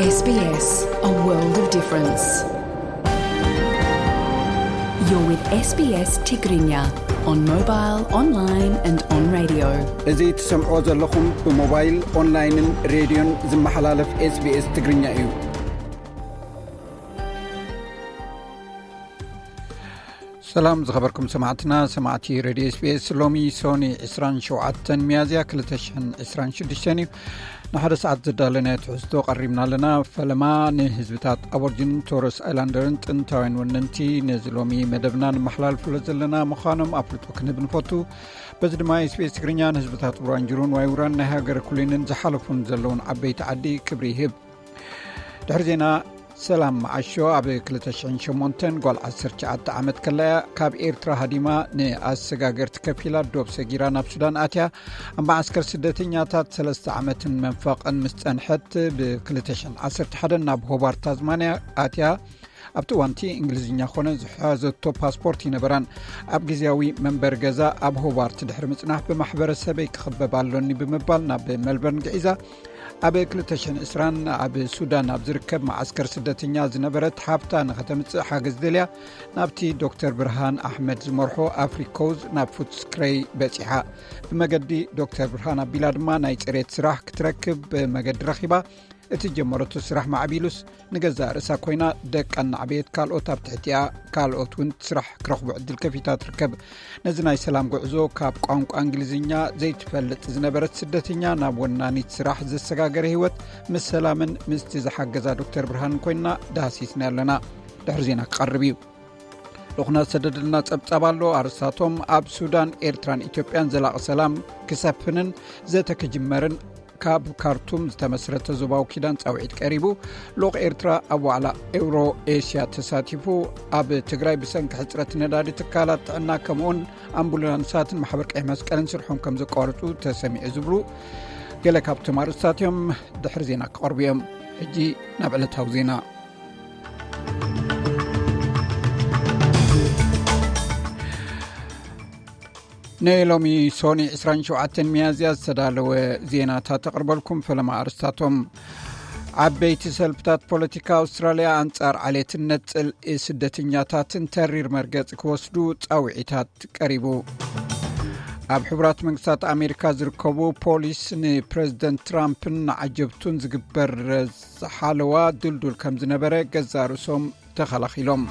S B S, a world of difference. You're with S B S Tigrinya on mobile, online and on radio. እዚ ትሰምዕዎ ዘለኹም ብሞባይል፣ ኦንላይንን ሬድዮን ዝመሓላለፍ S B S ትግርኛ እዩ። ሰላም ዝኸበርኩም ሰማዕትና፣ ሰማዕቲ ሬድዮ S B S። ሎሚ ሶኒ ዕስራን ሸውዓተን ሚያዝያ ክልተ ሽሕን ዕስራን ሽዱሽተን እዩ። ንሓደ ሰዓት ዘዳለናዮ ትሕዝቶ ቀሪብና ኣለና። ፈለማ ንህዝብታት ኣቦርጅንን ቶረስ ኣይላንደርን ጥንታውያን ወነንቲ ነዚ ሎሚ መደብና ንመሓላልፍሎ ዘለና ምዃኖም ኣፍልጦ ክንህብ ንፈቱ። በዚ ድማ S B S ትግርኛ ንህዝብታት ውራንጅሩን ዋይውራን ናይ ሃገረ ኩሊንን ዝሓለፉን ዘለውን ዓበይቲ ዓዲ ክብሪ ይህብ። ድሕሪ ዜና ሰላም መዓሾ ኣብ ክልተ ሽሕን ሸሞንተን ጓል ዓሰርተ ትሽዓተ ዓመት ከላ እያ ካብ ኤርትራ ሃዲማ ንኣሰጋገርቲ ከፊላ ዶብ ሰጊራ ናብ ሱዳን ኣትያ። ኣብ መዓስከር ስደተኛታት ሰለስተ ዓመትን መንፈቕን ምስ ጸንሐት ብ ክልተ ሽሕን ዓሰርተ ሓደን ናብ ሆባርት ታዝማንያ ኣትያ። ኣብቲ እዋንቲ እንግሊዝኛ ኾነ ዝሓዘቶ ፓስፖርት ይነበራን። ኣብ ግዜያዊ መንበሪ ገዛ ኣብ ሆባርት ድሕሪ ምጽናሕ ብማሕበረሰበይ ክኽበብ ኣሎኒ ብምባል ናብ መልበርን ግዒዛ። ኣብ ክልተ ሽሕን ዕስራን ኣብ ሱዳን ኣብ ዝርከብ መዓስከር ስደተኛ ዝነበረት ሓብታ ንኸተምጽእ ሓገዝ ደልያ ናብቲ ዶክተር ብርሃን ኣሕመድ ዝመርሖ ኣፍሪኮዝ ናብ ፉትስክረይ በጺሓ። ብመገዲ ዶክተር ብርሃን ኣቢላ ድማ ናይ ጽሬት ስራሕ ክትረክብ መገዲ ረኺባ። እቲ ጀመረቶ ስራሕ ማዕቢሉስ ንገዛእ ርእሳ ኮይና ደቃ እናዕበየት ካልኦት ኣብ ትሕቲኣ ካልኦት እውን ስራሕ ክረኽቡ ዕድል ከፊታ ትርከብ። ነዚ ናይ ሰላም ጉዕዞ ካብ ቋንቋ እንግሊዝኛ ዘይትፈልጥ ዝነበረት ስደተኛ ናብ ወናኒት ስራሕ ዘሰጋገረ ህይወት ምስ ሰላምን ምስቲ ዝሓገዛ ዶክተር ብርሃንን ኮይንና ዳህሲስና ኣለና። ድሕሪ ዜና ክቐርብ እዩ። ልኹና ዝሰደደልና ጸብጻብ ኣሎ። ኣርስታቶም ኣብ ሱዳን፣ ኤርትራን ኢትዮጵያን ዘላቒ ሰላም ክሰፍንን ዘተ ክጅመርን ካብ ካርቱም ዝተመስረተ ዞባዊ ኪዳን ጻውዒት ቀሪቡ። ልኡኽ ኤርትራ ኣብ ዋዕላ ኤውሮ ኤስያ ተሳቲፉ። ኣብ ትግራይ ብሰንኪ ሕጽረት ነዳዲ ትካላት ጥዕና ከምኡውን ኣምቡላንሳትን ማሕበር ቀይሕ መስቀልን ስርሖም ከም ዘቋረጹ ተሰሚዑ ዝብሉ ገለ ካብቶም ኣርእስታት እዮም። ድሕሪ ዜና ክቐርቡ እዮም። ሕጂ ናብ ዕለታዊ ዜና። ንሎሚ ሶኒ ዕስራን ሸውዓተን ሚያዝያ ዝተዳለወ ዜናታት ተቕርበልኩም። ፈለማ ኣርስታቶም። ዓበይቲ ሰልፍታት ፖለቲካ ኣውስትራልያ ኣንጻር ዓሌትነት ጽልኢ ስደተኛታትን ተሪር መርገጺ ክወስዱ ጻውዒታት ቀሪቡ። ኣብ ሕቡራት መንግስታት ኣሜሪካ ዝርከቡ ፖሊስ ንፕረዚደንት ትራምፕን ንዓጀብቱን ዝግበር ሓለዋ ድልዱል ከም ዝነበረ ገዛ ርእሶም ተኸላኺሎም።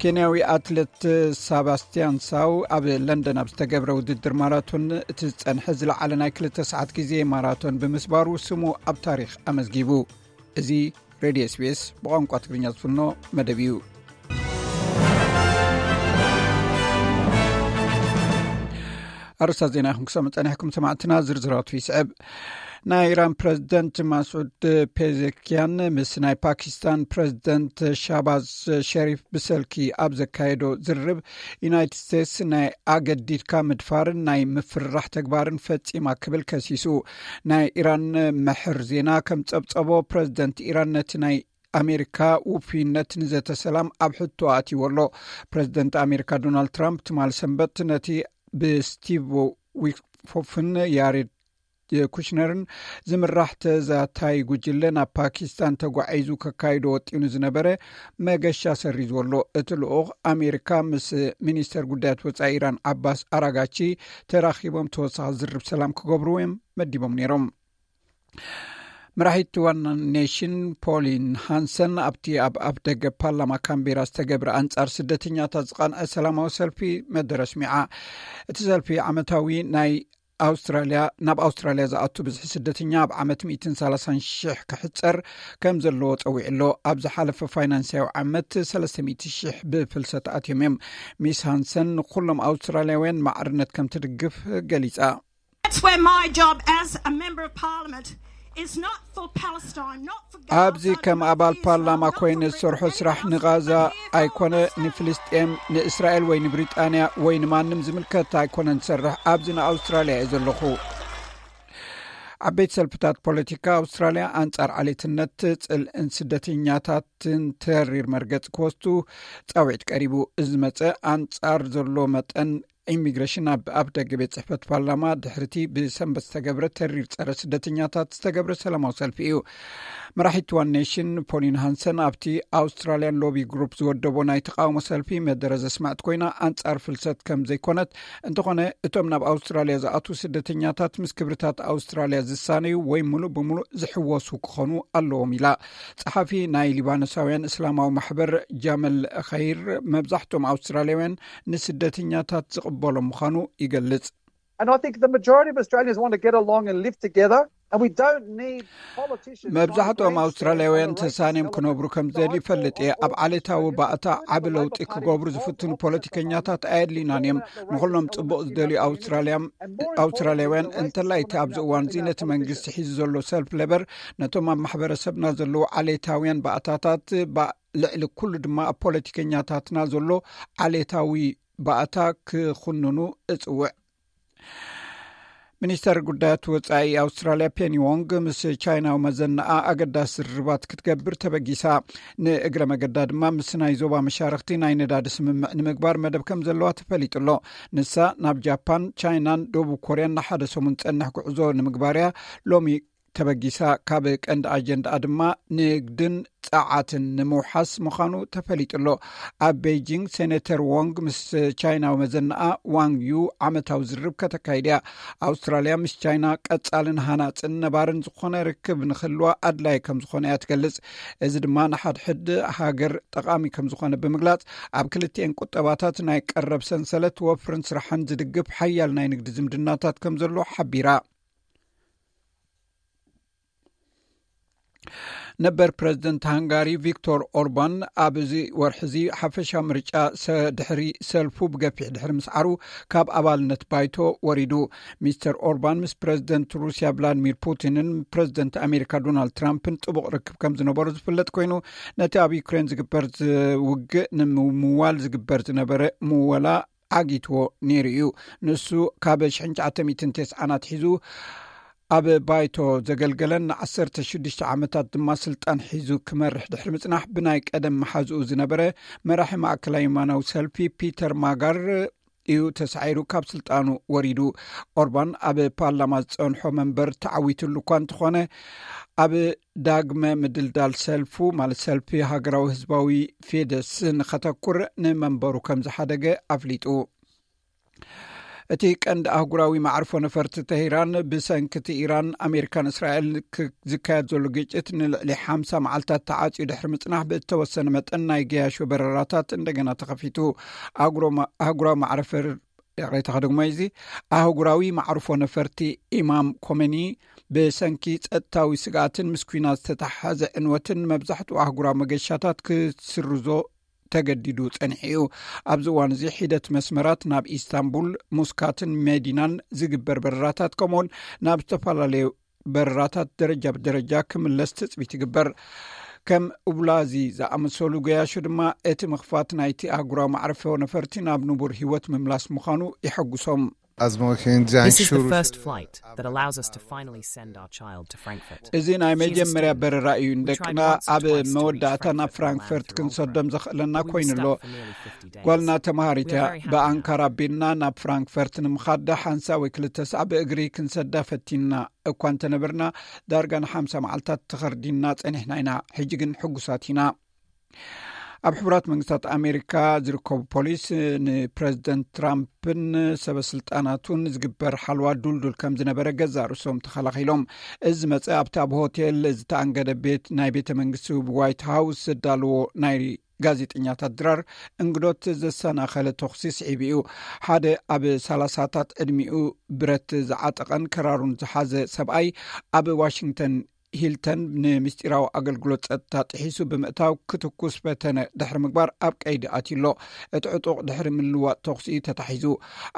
ኬንያዊ ኣትሌት ሳባስቲያን ሳው ኣብ ለንደን ኣብ ዝተገብረ ውድድር ማራቶን እቲ ዝጸንሐ ዝለዓለ ናይ ክልተ ሰዓት ግዜ ማራቶን ብምስባሩ ስሙ ኣብ ታሪኽ ኣመዝጊቡ። እዚ ሬድዮ S B S ብቋንቋ ትግርኛ ዝፍኖ መደብ እዩ። ኣርእስታት ዜና ኢኹም ክሰምዑ ጸኒሕኩም ሰማዕትና፣ ዝርዝራቱ ይስዕብ። ናይ ኢራን ፕረዚደንት ማስዑድ ፔዜኪያን ምስ ናይ ፓኪስታን ፕረዚደንት ሻባዝ ሸሪፍ ብሰልኪ ኣብ ዘካየዶ ዝርርብ፣ ዩናይትድ ስቴትስ ናይ ኣገዲድካ ምድፋርን ናይ ምፍርራሕ ተግባርን ፈጺማ ክብል ከሲሱ። ናይ ኢራን መሕር ዜና ከም ጸብጸቦ፣ ፕረዚደንት ኢራን ነቲ ናይ ኣሜሪካ ውፉይነት ንዘተ ሰላም ኣብ ሕቶ ኣትይዎ ኣሎ። ፕረዚደንት ኣሜሪካ ዶናልድ ትራምፕ ትማሊ ሰንበት ነቲ ብስቲቭ ዊትኮፍን ያሬድ ኩሽነርን ዝምራሕ ተዛታይ ጉጅለ ናብ ፓኪስታን ተጓዒዙ ከካይዶ ወጢኑ ዝነበረ መገሻ ሰሪዝዎ ኣሎ። እቲ ልኡኽ ኣሜሪካ ምስ ሚኒስተር ጉዳያት ወጻኢ ኢራን ዓባስ ኣራጋቺ ተራኺቦም ተወሳኺ ዝርብ ሰላም ክገብሩ እዮም መዲቦም ነይሮም። መራሒት ዋን ኔሽን ፖሊን ሃንሰን ኣብቲ ኣብ ኣፍ ደገ ፓርላማ ካምቤራ ዝተገብረ ኣንጻር ስደተኛታት ዝቐንዐ ሰላማዊ ሰልፊ መደረ ኣስሚዓ። እቲ ሰልፊ ዓመታዊ ናይ ኣውስትራልያ፣ ናብ ኣውስትራልያ ዝኣቱ ብዝሒ ስደተኛ ኣብ ዓመት ሚእትን ሰላሳን ሽሕ ክሕጸር ከም ዘለዎ ጸዊዑ ኣሎ። ኣብ ዝሓለፈ ፋይናንሳዊ ዓመት ሰለስተ ሚእቲ ሽሕ ብፍልሰት ኣትዮም እዮም። ሚስ ሃንሰን ንኩሎም ኣውስትራልያውያን ማዕርነት ከም ትድግፍ ገሊጻ። That's where my job as a member of parliament is not for Palestine, not for Gaza, ኣብዚ ከም not ኣባል for ፓርላማ Israel, ኮይነ not for ዝሰርሖ ስራሕ Israel, ንጋዛ but here for ኣይኮነ፣ Australia. ንፍልስጤም፣ ንእስራኤል ወይ ንብሪጣንያ ወይ ንማንም ዝምልከት ኣይኮነን ዝሰርሕ። ኣብዚ ንኣውስትራልያ እየ ዘለኹ። ዓበይቲ ሰልፍታት ፖለቲካ ኣውስትራልያ ኣንጻር ዓሌትነት፣ ጽልእን ስደተኛታትን ተሪር መርገጽ ክወስዱ ጻውዒት ቀሪቡ። እዚ ዝመጸ ኣንጻር ዘሎ መጠን ኢሚግሬሽን ኣብ ኣፍ ደገ ቤት ጽሕፈት ፓርላማ ድሕሪቲ ብሰንበት ዝተገብረ ተሪር ጸረ ስደተኛታት ዝተገብረ ሰላማዊ ሰልፊ እዩ። መራሒት ዋን ኔሽን ፖሊን ሃንሰን ኣብቲ ኣውስትራልያን ሎቢ ግሩፕ ዝወደቦ ናይ ተቃውሞ ሰልፊ መደረ ዘስማዕት ኮይና፣ ኣንጻር ፍልሰት ከም ዘይኮነት፣ እንተኾነ እቶም ናብ ኣውስትራልያ ዝኣትዉ ስደተኛታት ምስ ክብርታት ኣውስትራልያ ዝሳነዩ ወይ ሙሉእ ብሙሉእ ዝሕወሱ ክኾኑ ኣለዎም ኢላ። ጸሓፊ ናይ ሊባኖሳውያን እስላማዊ ማሕበር ጃመል ኸይር፣ መብዛሕትኦም ኣውስትራልያውያን ንስደተኛታት ዝቕበሎም ምዃኑ ይገልጽ። And I think the majority of Australians want to get along and live together. And we don't need politicians. መብዛሕትኦም ኣውስትራልያውያን ተሳንዮም ክነብሩ ከም ዝደልዩ ይፈልጥ እየ። ኣብ ዓሌታዊ ባእታ ዓቢ ለውጢ ክገብሩ ዝፍትኑ ፖለቲከኛታት ኣየድልዩናን እዮም። ንኹሎም ጽቡቕ ዝደልዩ ኣውስትራልያውያን፣ እንተላይ እቲ ኣብዚ እዋን እዚ ነቲ መንግስቲ ሒዙ ዘሎ ሰልፍ ሌበር፣ ነቶም ኣብ ማሕበረሰብና ዘለዉ ዓሌታውያን ባእታታት፣ ልዕሊ ኩሉ ድማ ኣብ ፖለቲከኛታትና ዘሎ ዓሌታዊ ባእታ ክኹንኑ እጽውዕ። ሚኒስተር ጉዳያት ወጻኢ ኣውስትራልያ ፔኒ ዎንግ ምስ ቻይናዊ መዘናኣ ኣገዳሲ ዝርርባት ክትገብር ተበጊሳ። ንእግረ መገዳ ድማ ምስ ናይ ዞባ መሻርኽቲ ናይ ነዳዲ ስምምዕ ንምግባር መደብ ከም ዘለዋ ተፈሊጡ ኣሎ። ንሳ ናብ ጃፓን፣ ቻይናን ደቡብ ኮርያን ንሓደ ሰሙን ዝጸንሕ ጉዕዞ ንምግባር እያ ሎሚ ተበጊሳ። ካብ ቀንዲ ኣጀንዳኣ ድማ ንግድን ጸዓትን ንምውሓስ ምዃኑ ተፈሊጡ ኣሎ። ኣብ ቤይጂንግ ሴኔተር ዎንግ ምስ ቻይናዊ መዘናኣ ዋንግ ዩ ዓመታዊ ዝርርብ ከተካይድ እያ። ኣውስትራልያ ምስ ቻይና ቀጻልን ሃናጽን ነባርን ዝኾነ ርክብ ንክህልዋ ኣድላይ ከም ዝኾነ እያ ትገልጽ። እዚ ድማ ንሓድሕድ ሃገር ጠቓሚ ከም ዝኾነ ብምግላጽ፣ ኣብ ክልቲኤን ቁጠባታት ናይ ቀረብ ሰንሰለት ወፍርን ስራሕን ዝድግፍ ሓያል ናይ ንግዲ ዝምድናታት ከም ዘሎ ሓቢራ። ነበር ፕረዚደንት ሃንጋሪ ቪክቶር ኦርባን ኣብዚ ወርሒ እዚ ሓፈሻ ምርጫ ሰ- ድሕሪ ሰልፉ ብገፊሕ ድሕሪ ምስዓሩ ካብ ኣባልነት ባይቶ ወሪዱ። ሚስተር ኦርባን ምስ ፕረዚደንት ሩስያ ቭላድሚር ፑቲንን ፕረዚደንት ኣሜሪካ ዶናልድ ትራምፕን ጥቡቕ ርክብ ከም ዝነበሩ ዝፍለጥ ኮይኑ፣ ነቲ ኣብ ዩክሬን ዝግበር ውግእ ንምምዋል ዝግበር ዝነበረ ምወላ ዓጊትዎ ነይሩ እዩ። ንሱ ካብ ሽሕን ትሽዓተ ሚእትን ተስዓን ኣትሒዙ ኣብ ባይቶ ዘገልገለን ንዓሰርተ ሽዱሽተ ዓመታት ድማ ስልጣን ሒዙ ክመርሕ ድሕሪ ምጽናሕ፣ ብናይ ቀደም መሓዝኡ ዝነበረ መራሒ ማእከላይ የማናዊ ሰልፊ ፒተር ማጋር እዩ ተሳዒሩ ካብ ስልጣኑ ወሪዱ። ኦርባን ኣብ ፓርላማ ዝጸንሖ መንበር ተዓዊትሉ እኳ እንተኾነ፣ ኣብ ዳግመ ምድልዳል ሰልፉ፣ ማለት ሰልፊ ሃገራዊ ህዝባዊ ፌደስ፣ ንኸተኩር ንመንበሩ ከም ዝሓደገ ኣፍሊጡ። እቲ ቀንዲ ኣህጉራዊ መዕርፎ ነፈርቲ ተሂራን፣ ብሰንኪ እቲ ኢራን፣ ኣሜሪካን እስራኤል ክ- ዝካየድ ዘሎ ግጭት ንልዕሊ ሓምሳ መዓልታት ተዓጽዩ ድሕሪ ምጽናሕ፣ ብእተወሰነ መጠን ናይ ገያሾ በረራታት እንደገና ተኸፊቱ። ኣህጉራዊ መዕርፎ ይቕሬታ ከደግሞ እዚ ኣህጉራዊ መዕርፎ ነፈርቲ ኢማም ኮመኒ ብሰንኪ ጸጥታዊ ስግኣትን ምስ ኲናት ዝተተሓሓዘ ዕንወትን መብዛሕትኡ ኣህጉራዊ መገሻታት ክስርዞ ተገዲዱ ጸኒሑ እዩ። ኣብዚ እዋን እዚ ሒደት መስመራት ናብ ኢስታንቡል፣ ሙስካትን መዲናን ዝግበር በረራታት፣ ከምኡውን ናብ ዝተፈላለዩ በረራታት ደረጃ ብደረጃ ክምለስ ትጽቢት ይግበር። ከም ኡብላዚ ዝኣመሰሉ ገያሾ ድማ እቲ ምኽፋት ናይቲ ኣህጉራዊ መዕርፎ ነፈርቲ ናብ ንቡር ህይወት ምምላስ ምዃኑ የሐጉሶም። This is the first flight that allows us to finally send our child to Frankfurt. እዚ ናይ መጀመርያ በረራ እዩ። ንደቅና ኣብ መወዳእታ ናብ ፍራንክፈርት ክንሰዶም ዘኽእለና ኮይኑ ኣሎ። ጓልና ተምሃሪት እያ። ብኣንካራ ኣቢልና ናብ ፍራንክፈርት ንምኻድ ሓንሳ ወይ ክልተ ሰዓት ብእግሪ ክንሰዳ ፈቲንና እኳ እንተነበርና፣ ዳርጋ ንሓምሳ መዓልታት ተኸርዲንና ጸኒሕና ኢና። ሕጂ ግን ሕጉሳት ኢና። ኣብ ሕቡራት መንግስታት ኣሜሪካ ዝርከቡ ፖሊስ ንፕረዚደንት ትራምፕን ሰበ ስልጣናቱን ዝግበር ሓልዋ ዱልዱል ከም ዝነበረ ገዛ ርእሶም ተኸላኺሎም። እዚ መጸ ኣብቲ ኣብ ሆቴል ዝተኣንገደ ቤት ናይ ቤተ መንግስቲ ዋይት ሃውስ ዘዳለዎ ናይ ጋዜጠኛታት ድራር እንግዶት ዘሰናኸለ ተኹሲ ስዒቡ እዩ። ሓደ ኣብ ሰላሳታት ዕድሚኡ ብረት ዝዓጠቐን ከራሩን ዝሓዘ ሰብኣይ ኣብ ዋሽንግተን ሂልተን ንምስጢራዊ ኣገልግሎት ጸጥታ ጥሒሱ ብምእታው ክትኩስ ፈተነ ድሕሪ ምግባር ኣብ ቀይዲ ኣትዩ ኣሎ። እቲ ዕጡቕ ድሕሪ ምልዋጥ ተኹሲ እዩ ተታሒዙ።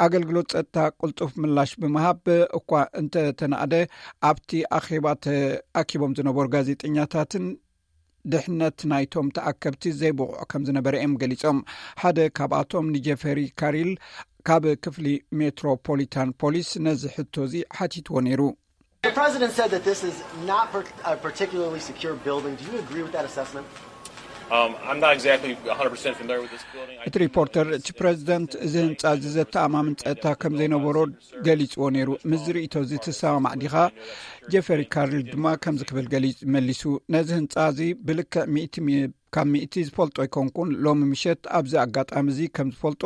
ኣገልግሎት ጸጥታ ቅልጡፍ ምላሽ ብምሃብ እኳ እንተተናእደ፣ ኣብቲ ኣኼባ ተኣኪቦም ዝነበሩ ጋዜጠኛታትን ድሕነት ናይቶም ተኣከብቲ ዘይብቑዕ ከም ዝነበረ እዮም ገሊጾም። ሓደ ካብኣቶም ንጀፈሪ ካሪል ካብ ክፍሊ ሜትሮፖሊታን ፖሊስ ነዚ ሕቶ እዚ ሓቲትዎ ነይሩ። The president said that this is not per- a particularly secure building. Do you agree with that assessment? Um, I'm not exactly one hundred percent familiar with this building. I እቲ ሪፖርተር፣ እቲ ፕሬዚደንት እዚ ህንፃ እዚ ዘተኣማምን ፀጥታ ከም ዘይነበሮ ገሊፅዎ ነይሩ። ምስ ዝርእቶ እዚ ትሰማማዕ ዲኻ? ጀፈሪ ካርል ድማ ከምዚ ክብል ገሊፅ መሊሱ። ነዚ ህንፃ እዚ ብልክዕ ሚእቲ ሚ- ካብ ሚእቲ ዝፈልጦ ኣይኮንኩን። ሎሚ ምሸት ኣብዚ ኣጋጣሚ እዚ ከም ዝፈልጦ፣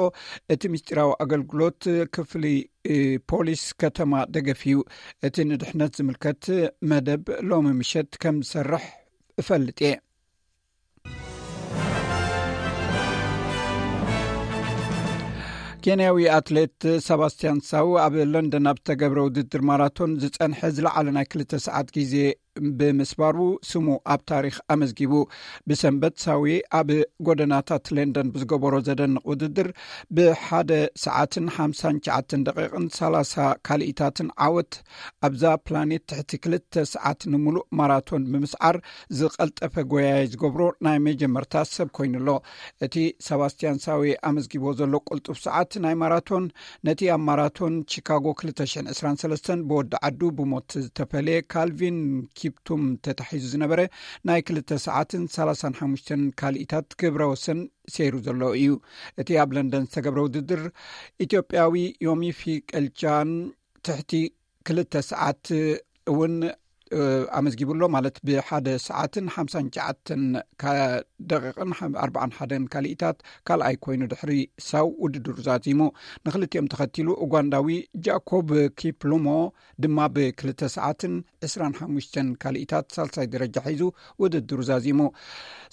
እቲ ምስጢራዊ ኣገልግሎት ክፍሊ እ፣ ፖሊስ ከተማ ደገፍ እዩ። እቲ ንድሕነት ዝምልከት መደብ ሎሚ ምሸት ከም ዝሰርሕ እፈልጥ እየ። ኬንያዊ ኣትሌት ሰባስቲያን ሳው ኣብ ለንደን ኣብ ዝተገብረ ውድድር ማራቶን ዝጸንሐ ዝለዓለ ናይ ክልተ ሰዓት ግዜ ብምስባሩ፣ ስሙ ኣብ ታሪኽ ኣመዝጊቡ። ብሰንበት ሳዊ ኣብ ጎደናታት ለንደን ብዝገበሮ ዘደንቕ ውድድር፣ ብሓደ ሰዓትን ሓምሳን ትሽዓተን ደቂቕን ሰላሳ ካልኢታትን ዓወት ኣብዛ ፕላኔት ትሕቲ ክልተ ሰዓት ንምሉእ ማራቶን ብምስዓር ዝቐልጠፈ ጎያይ ዝገብሮ ናይ መጀመርታ ሰብ ኮይኑ ኣሎ። እቲ ሰባስቲያን ሳዊ ኣመዝጊቦ ዘሎ ቅልጡፍ ሰዓት ናይ ማራቶን፣ ነቲ ኣብ ማራቶን ቺካጎ ክልተ ሽሕን ዕስራን ሰለስተን ብወዲ ዓዱ ብሞት ዝተፈለየ ካልቪን ኪፕቱም ተታሒዙ ዝነበረ ናይ ክልተ ሰዓትን ሰላሳን ሓሙሽተን ካልኢታት ክብረ ወሰን ሰይሩ ዘሎ እዩ። እቲ ኣብ ለንደን ዝተገብረ ውድድር፣ ኢትዮጵያዊ ዮሚፊ ቀልቻን ትሕቲ ክልተ ሰዓት እውን፣ እ፣ ኣመዝጊቡ ኣሎ። ማለት፣ ብሓደ ሰዓትን ሓምሳን ትሽዓተን ካ- ደቂቕን ሓም- ኣርባዓን ሓደን ካልኢታት ካልኣይ ኮይኑ፣ ድሕሪ ሳው ውድድሩ ዛዚሙ። ንክልቲኦም ተኸቲሉ፣ ኡጋንዳዊ ጃኮብ ኪፕሉሞ ድማ ብክልተ ሰዓትን ዕስራን ሓሙሽተን ካልኢታት ሳልሳይ ደረጃ ሒዙ ውድድሩ ዛዚሙ።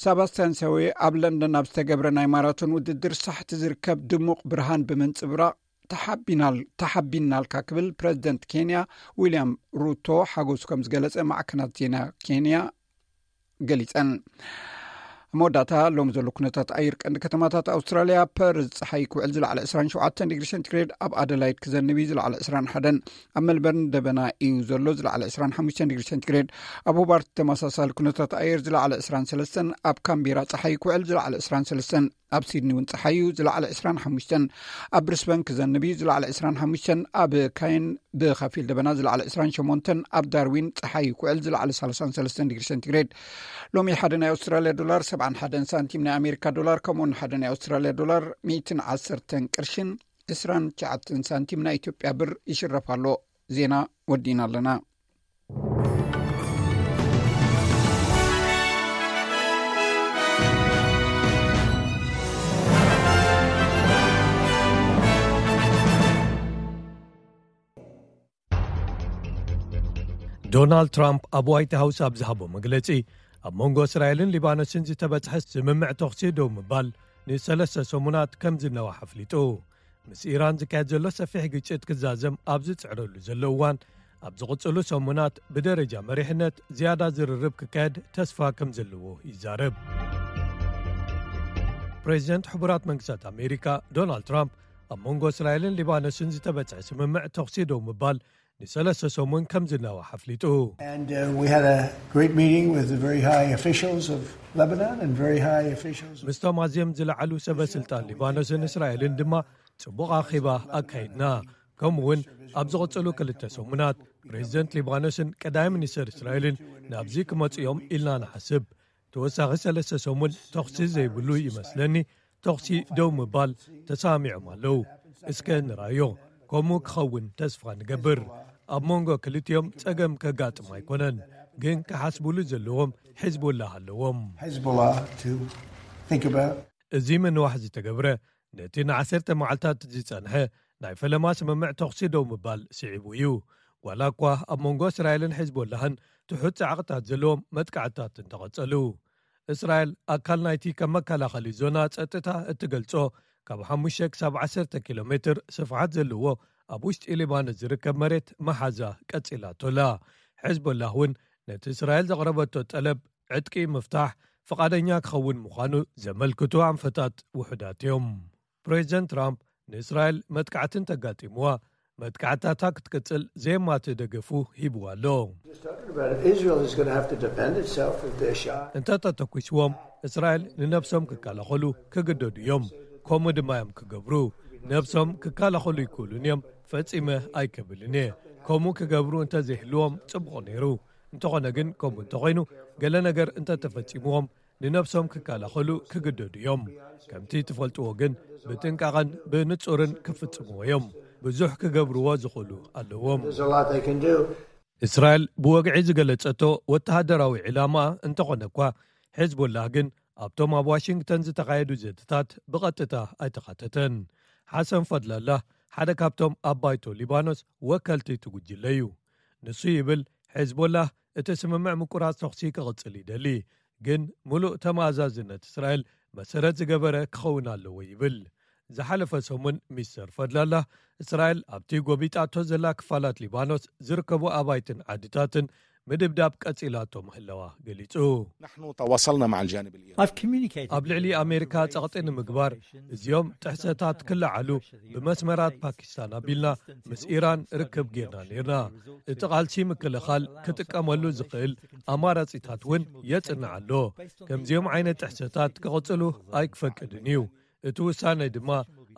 ሰባስቲያን ሰዌ ኣብ ለንደን ኣብ ዝተገብረ ናይ ማራቶን ውድድር ሳሕቲ ዝርከብ ድሙቕ ብርሃን ብምንጽብራቕ ተሓቢናል-፣ ተሓቢናልካ ክብል ፕረዚደንት ኬንያ ዊልያም ሩቶ ሓጎሱ ከም ዝገለጸ ማዕከናት ዜና ኬንያ ገሊጸን። ኣብ መወዳእታ፣ ሎም ዘሎ ኩነታት ኣየር ቀንዲ ከተማታት ኣውስትራልያ፣ ፐርዝ ጸሓይ ክውዕል ዝለዓለ ዕስራን ሸውዓተን ዲግሪ ሴንቲግሬድ፣ ኣብ ኣደላይድ ክዘንብ እዩ ዝለዓለ ዕስራን ሓደን፣ ኣብ ሜልበርን ደበና እዩ ዘሎ ዝለዓለ ዕስራን ሓሙሽተን ዲግሪ ሴንቲግሬድ፣ ኣብ ሆባርት ተመሳሳሊ ኩነታት ኣየር ዝለዓለ ዕስራን ሰለስተን፣ ኣብ ካምቤራ ጸሓይ ክውዕል ዝለዓለ ዕስራን ሰለስተን፣ ኣብ ሲድኒ እውን ጸሓይ እዩ ዝለዓለ ዕስራን ሓሙሽተን፣ ኣብ ብሪስበን ክዘንብ እዩ ዝለዓለ ዕስራን ሓሙሽተን፣ ኣብ ካይን ብኸፊል ደበና ዝለዓለ ዕስራን ሸሞንተን፣ ኣብ ዳርዊን ጸሓይ ክውዕል ዝለዓለ ሰላሳን ሰለስተን ዲግሪ ሴንቲግሬድ። ሎሚ ሓደ ናይ ኣውስትራልያ ዶላር ሰብዓን ሓደን ሳንቲም ናይ ኣሜሪካ ዶላር፣ ከምኡውን ሓደ ናይ ኣውስትራልያ ዶላር ሚእትን ዓሰርተን ቅርሽን ዕስራን ትሽዓተን ሳንቲም ናይ ኢትዮጵያ ብር ይሽረፍ ኣሎ። ዜና ወዲእና ኣለና። ዶናልድ ትራምፕ ኣብ ዋይት ሃውስ ኣብ ዝሃቦ መግለጺ፣ ኣብ መንጎ እስራኤልን ሊባኖስን ዝተበጽሐ ስምምዕ ተኹሲ ደው ምባል ንሰለስተ ሰሙናት ከም ዝነዋሕ ኣፍሊጡ። ምስ ኢራን ዝካየድ ዘሎ ሰፊሕ ግጭት ክዛዘም ኣብ ዝጽዕረሉ ዘሎ እዋን፣ ኣብ ዝቕጽሉ ሰሙናት ብደረጃ መሪሕነት ዝያዳ ዝርርብ ክካየድ ተስፋ ከም ዘለዎ ይዛረብ። ፕሬዚደንት ሕቡራት መንግስታት ኣሜሪካ ዶናልድ ትራምፕ፣ ኣብ መንጎ እስራኤልን ሊባኖስን ዝተበጽሐ ስምምዕ ተኹሲ ደው ምባል ንሰለስተ ሰሙን ከም ዝነዋሕ ኣፍሊጡ። And uh, we had a great meeting with the very high officials of Lebanon and very high officials of ምስቶም ኣዝዮም ዝለዓሉ ሰበ ስልጣን ሊባኖስን እስራኤልን ድማ ጽቡቕ ኣኼባ ኣካይድና። ከምኡ እውን ኣብ ዝቕጽሉ ክልተ ሰሙናት ፕሬዚደንት ሊባኖስን ቀዳማይ ሚኒስተር እስራኤልን ናብዚ ክመጹ እዮም ኢልና ንሓስብ። ተወሳኺ ሰለስተ ሰሙን ተኹሲ ዘይብሉ ይመስለኒ። ተኹሲ ደው ምባል ተሰማሚዖም ኣለዉ። እስከ ንራዮ። ከምኡ ክኸውን ተስፋ ንገብር። ኣብ መንጎ ክልቲኦም ጸገም ከጋጥም ኣይኮነን፣ ግን ክሓስቡሉ ዘለዎም ሒዝቦላህ ኣለዎም። Hezbollah to think about. እዚ ምንዋሕ ዝተገብረ፣ ነቲ ንዓሰርተ መዓልታት ዝጸንሐ ናይ ፈለማ ስምምዕ ተኹሲ ደው ምባል ስዒቡ እዩ። ዋላ እኳ ኣብ መንጎ እስራኤልን ሒዝቦላህን ትሑት ጻዕቕታት ዘለዎም መጥቃዕትታት እንተቐጸሉ፣ እስራኤል ኣካል ናይቲ ከም መከላኸሊ ዞና ጸጥታ እትገልጾ ካብ ሓሙሽተ ክሳብ ዓሰርተ ኪሎ ሜትር ስፍሓት ዘለዎ ኣብ ውሽጢ ሊባኖስ ዝርከብ መሬት መሓዛ ቀጺላቶ ኣላ። ሒዝቦላህ እውን ነቲ እስራኤል ዘቕረበቶ ጠለብ ዕጥቂ ምፍታሕ ፍቓደኛ ክኸውን ምዃኑ ዘመልክቱ ኣንፈታት ውሑዳት እዮም። ፕሬዚደንት ትራምፕ ንእስራኤል መጥቃዕቲ እንተጋጢምዋ፣ መጥቃዕታታ ክትቅጽል ዘየማትእ ደገፉ ሂብዋ ኣሎ። Just talking about it, Israel is going to have to defend itself if they're shot. እንተ ተተኲስዎም፣ እስራኤል ንነብሶም ክከላኸሉ ክግደዱ እዮም። ከምኡ ድማ እዮም ክገብሩ። ነብሶም ክከላኸሉ ይክእሉን እዮም፣ ፈጺመ ኣይከብልን እየ። ከምኡ ክገብሩ እንተ ዘይህልዎም ጽቡቕ ነይሩ። እንተኾነ ግን፣ ከምኡ እንተኾይኑ፣ ገለ ነገር እንተ ተፈጺምዎም፣ ንነብሶም ክከላኸሉ ክግደዱ እዮም። ከምቲ ትፈልጥዎ ግን ብጥንቃቐን ብንጹርን ክፍጽምዎ እዮም። ብዙሕ ክገብርዎ ዝኽእሉ ኣለዎም። እስራኤል ብወግዒ ዝገለጸቶ ወተሃደራዊ ዕላማ እንተኾነ እኳ፣ ሒዝቦላህ ግን ኣብቶም ኣብ ዋሽንግተን ዝተኻየዱ ዘተታት ብቐጥታ ኣይተኻተተን። ሓሰን ፈድላላህ ሓደ ካብቶም ኣብ ባይቶ ሊባኖስ ወከልቲ እቲ ጉጅለ እዩ። ንሱ ይብል፣ ሒዝቦላህ እቲ ስምምዕ ምቁራጽ ተኹሲ ክቕጽል ይደሊ፣ ግን ምሉእ ተመኣዛዝነት እስራኤል መሰረት ዝገበረ ክኸውን ኣለዎ ይብል። ዝሓለፈ ሰሙን ሚስተር ፈድላላህ፣ እስራኤል ኣብቲ ጎቢጣቶ ዘላ ክፋላት ሊባኖስ ዝርከቡ ኣባይትን ዓድታትን ምድብዳብ ቀጺላቶ ምህላዋ ገሊጹ። نحن تواصلنا مع الجانب الإيراني. ኣብ ልዕሊ ኣሜሪካ ጸቕጢ ንምግባር እዚኦም ጥሕሰታት ክለዓሉ ብመስመራት ፓኪስታን ኣቢልና ምስ ኢራን ርክብ ጌርና ነርና። እቲ ቃልሲ ምክልኻል ክጥቀመሉ ዝኽእል ኣማራጺታት እውን የጽንዕ ኣሎ። ከምዚኦም ዓይነት ጥሕሰታት ክቕጽሉ ኣይክፈቅድን እዩ። እቲ ውሳነ ድማ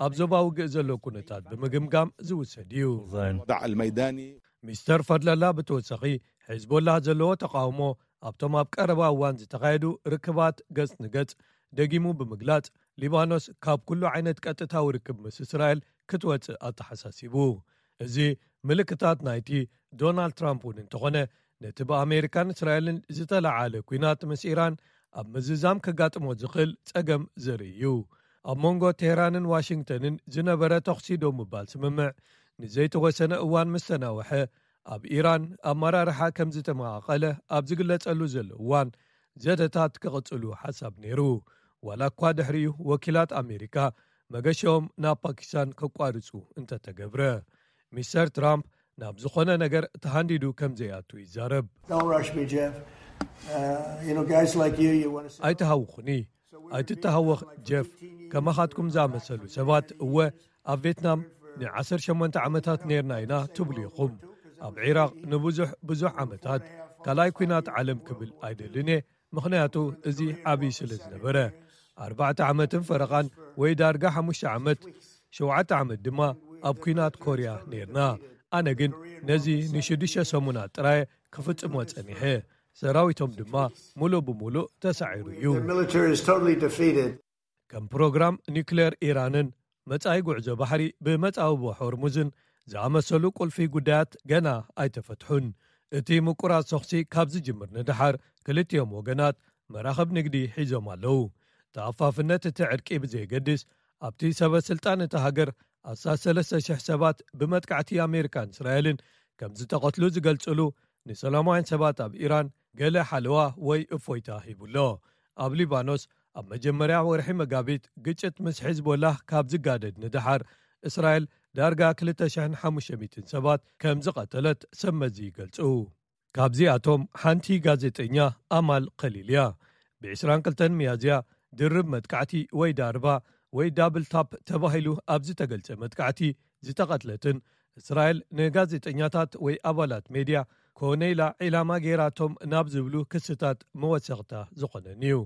ኣብ ዞባ ውግእ ዘሎ ኩነታት ብምግምጋም ዝውሰድ እዩ። الوضع الميداني ሚስተር ፈድለላ ብተወሳኺ፣ ሒዝቦላህ ዘለዎ ተቃውሞ ኣብቶም ኣብ ቀረባ እዋን ዝተኻየዱ ርክባት ገጽ ንገጽ ደጊሙ ብምግላጽ፣ ሊባኖስ ካብ ኩሉ ዓይነት ቀጥታዊ ርክብ ምስ እስራኤል ክትወጽእ ኣተሓሳሲቡ። እዚ ምልክታት ናይቲ ዶናልድ ትራምፕ እውን እንተኾነ፣ ነቲ ብኣሜሪካን እስራኤልን ዝተለዓለ ኲናት ምስ ኢራን ኣብ ምዝዛም ከጋጥሞ ዝኽእል ጸገም ዘርኢ እዩ። ኣብ መንጎ ቴህራንን ዋሽንግተንን ዝነበረ ተኹሲ ደው ምባል ስምምዕ ንዘይተወሰነ እዋን ምስ ተናውሐ፣ ኣብ ኢራን ኣመራርሓ ከም ዝተመቓቐለ ኣብ ዝግለጸሉ ዘሎ እዋን፣ ዘተታት ክቕጽሉ ሓሳብ ነይሩ። ዋላ እኳ ድሕሪኡ ወኪላት ኣሜሪካ መገሻኦም ናብ ፓኪስታን ከቋርጹ እንተተገብረ፣ ሚስተር ትራምፕ ናብ ዝኾነ ነገር ተሃንዲዱ ከም ዘይኣቱ ይዛረብ። Don't rush me, Jeff. Uh, you know, guys like you, you want to say ኣይትሃውኹኒ፣ ኣይትተሃወኽ ጀፍ። ከማኻትኩም ዝኣመሰሉ ሰባት እወ ኣብ ቬትናም ንዓሰርተ ሸሞንተ ዓመታት ነርና ኢና ትብሉ ኢኹም። ኣብ ዒራቕ ንብዙሕ ብዙሕ ዓመታት ካልኣይ ኲናት ዓለም ክብል ኣይደልን እየ፣ ምኽንያቱ እዚ ዓብዪ ስለ ዝነበረ። ኣርባዕተ ዓመትን ፈረቓን ወይ ዳርጋ ሓሙሽተ ዓመት፣ ሸውዓተ ዓመት ድማ ኣብ ኲናት ኮርያ ነርና። ኣነ ግን ነዚ ንሽዱሽተ ሰሙናት ጥራይ ክፍጽሞ ጸኒሐ። ሰራዊቶም ድማ ሙሉእ ብሙሉእ ተሳዒሩ እዩ። The military is totally defeated. ከም ፕሮግራም ኒውክሌር ኢራንን መጻኢ ጉዕዞ ባሕሪ ብመጻብቦ ሆርሙዝን ዝኣመሰሉ ቁልፊ ጉዳያት ገና ኣይተፈትሑን። እቲ ምቁራጽ ተኹሲ ካብ ዝጅምር ንደሓር ክልቲኦም ወገናት መራኽብ ንግዲ ሒዞም ኣለዉ። ተኣፋፍነት እቲ ዕርቂ ብዘየገድስ ኣብቲ ሰበ ስልጣን እታ ሃገር ኣስታት ሰለስተ ሽሕ ሰባት ብመጥቃዕቲ ኣሜሪካን እስራኤልን ከም ዝተቐትሉ ዝገልጽሉ ንሰላማውያን ሰባት ኣብ ኢራን ገለ ሓለዋ ወይ እፎይታ ሂቡሎ። ኣብ ሊባኖስ ኣብ መጀመርያ ወርሒ መጋቢት ግጭት ምስ ሒዝቦላህ ካብ ዝጋደድ ንደሓር እስራኤል ዳርጋ ክልተ ሽሕን ሓሙሽተ ሚእትን ሰባት ከም ዝቐተለት ሰብ መዚ ይገልጹ። ካብዚኣቶም ሓንቲ ጋዜጠኛ ኣማል ከሊል እያ። ብ ዕስራን ክልተን ሚያዝያ ድርብ መጥቃዕቲ ወይ ዳርባ ወይ ዳብል ታፕ ተባሂሉ ኣብ ዝተገልጸ መጥቃዕቲ ዝተቐትለትን እስራኤል ንጋዜጠኛታት ወይ ኣባላት ሜድያ ኮነ ኢላ ዒላማ ገይራቶም ናብ ዝብሉ ክስታት መወሰኽታ ዝኾነን እዩ።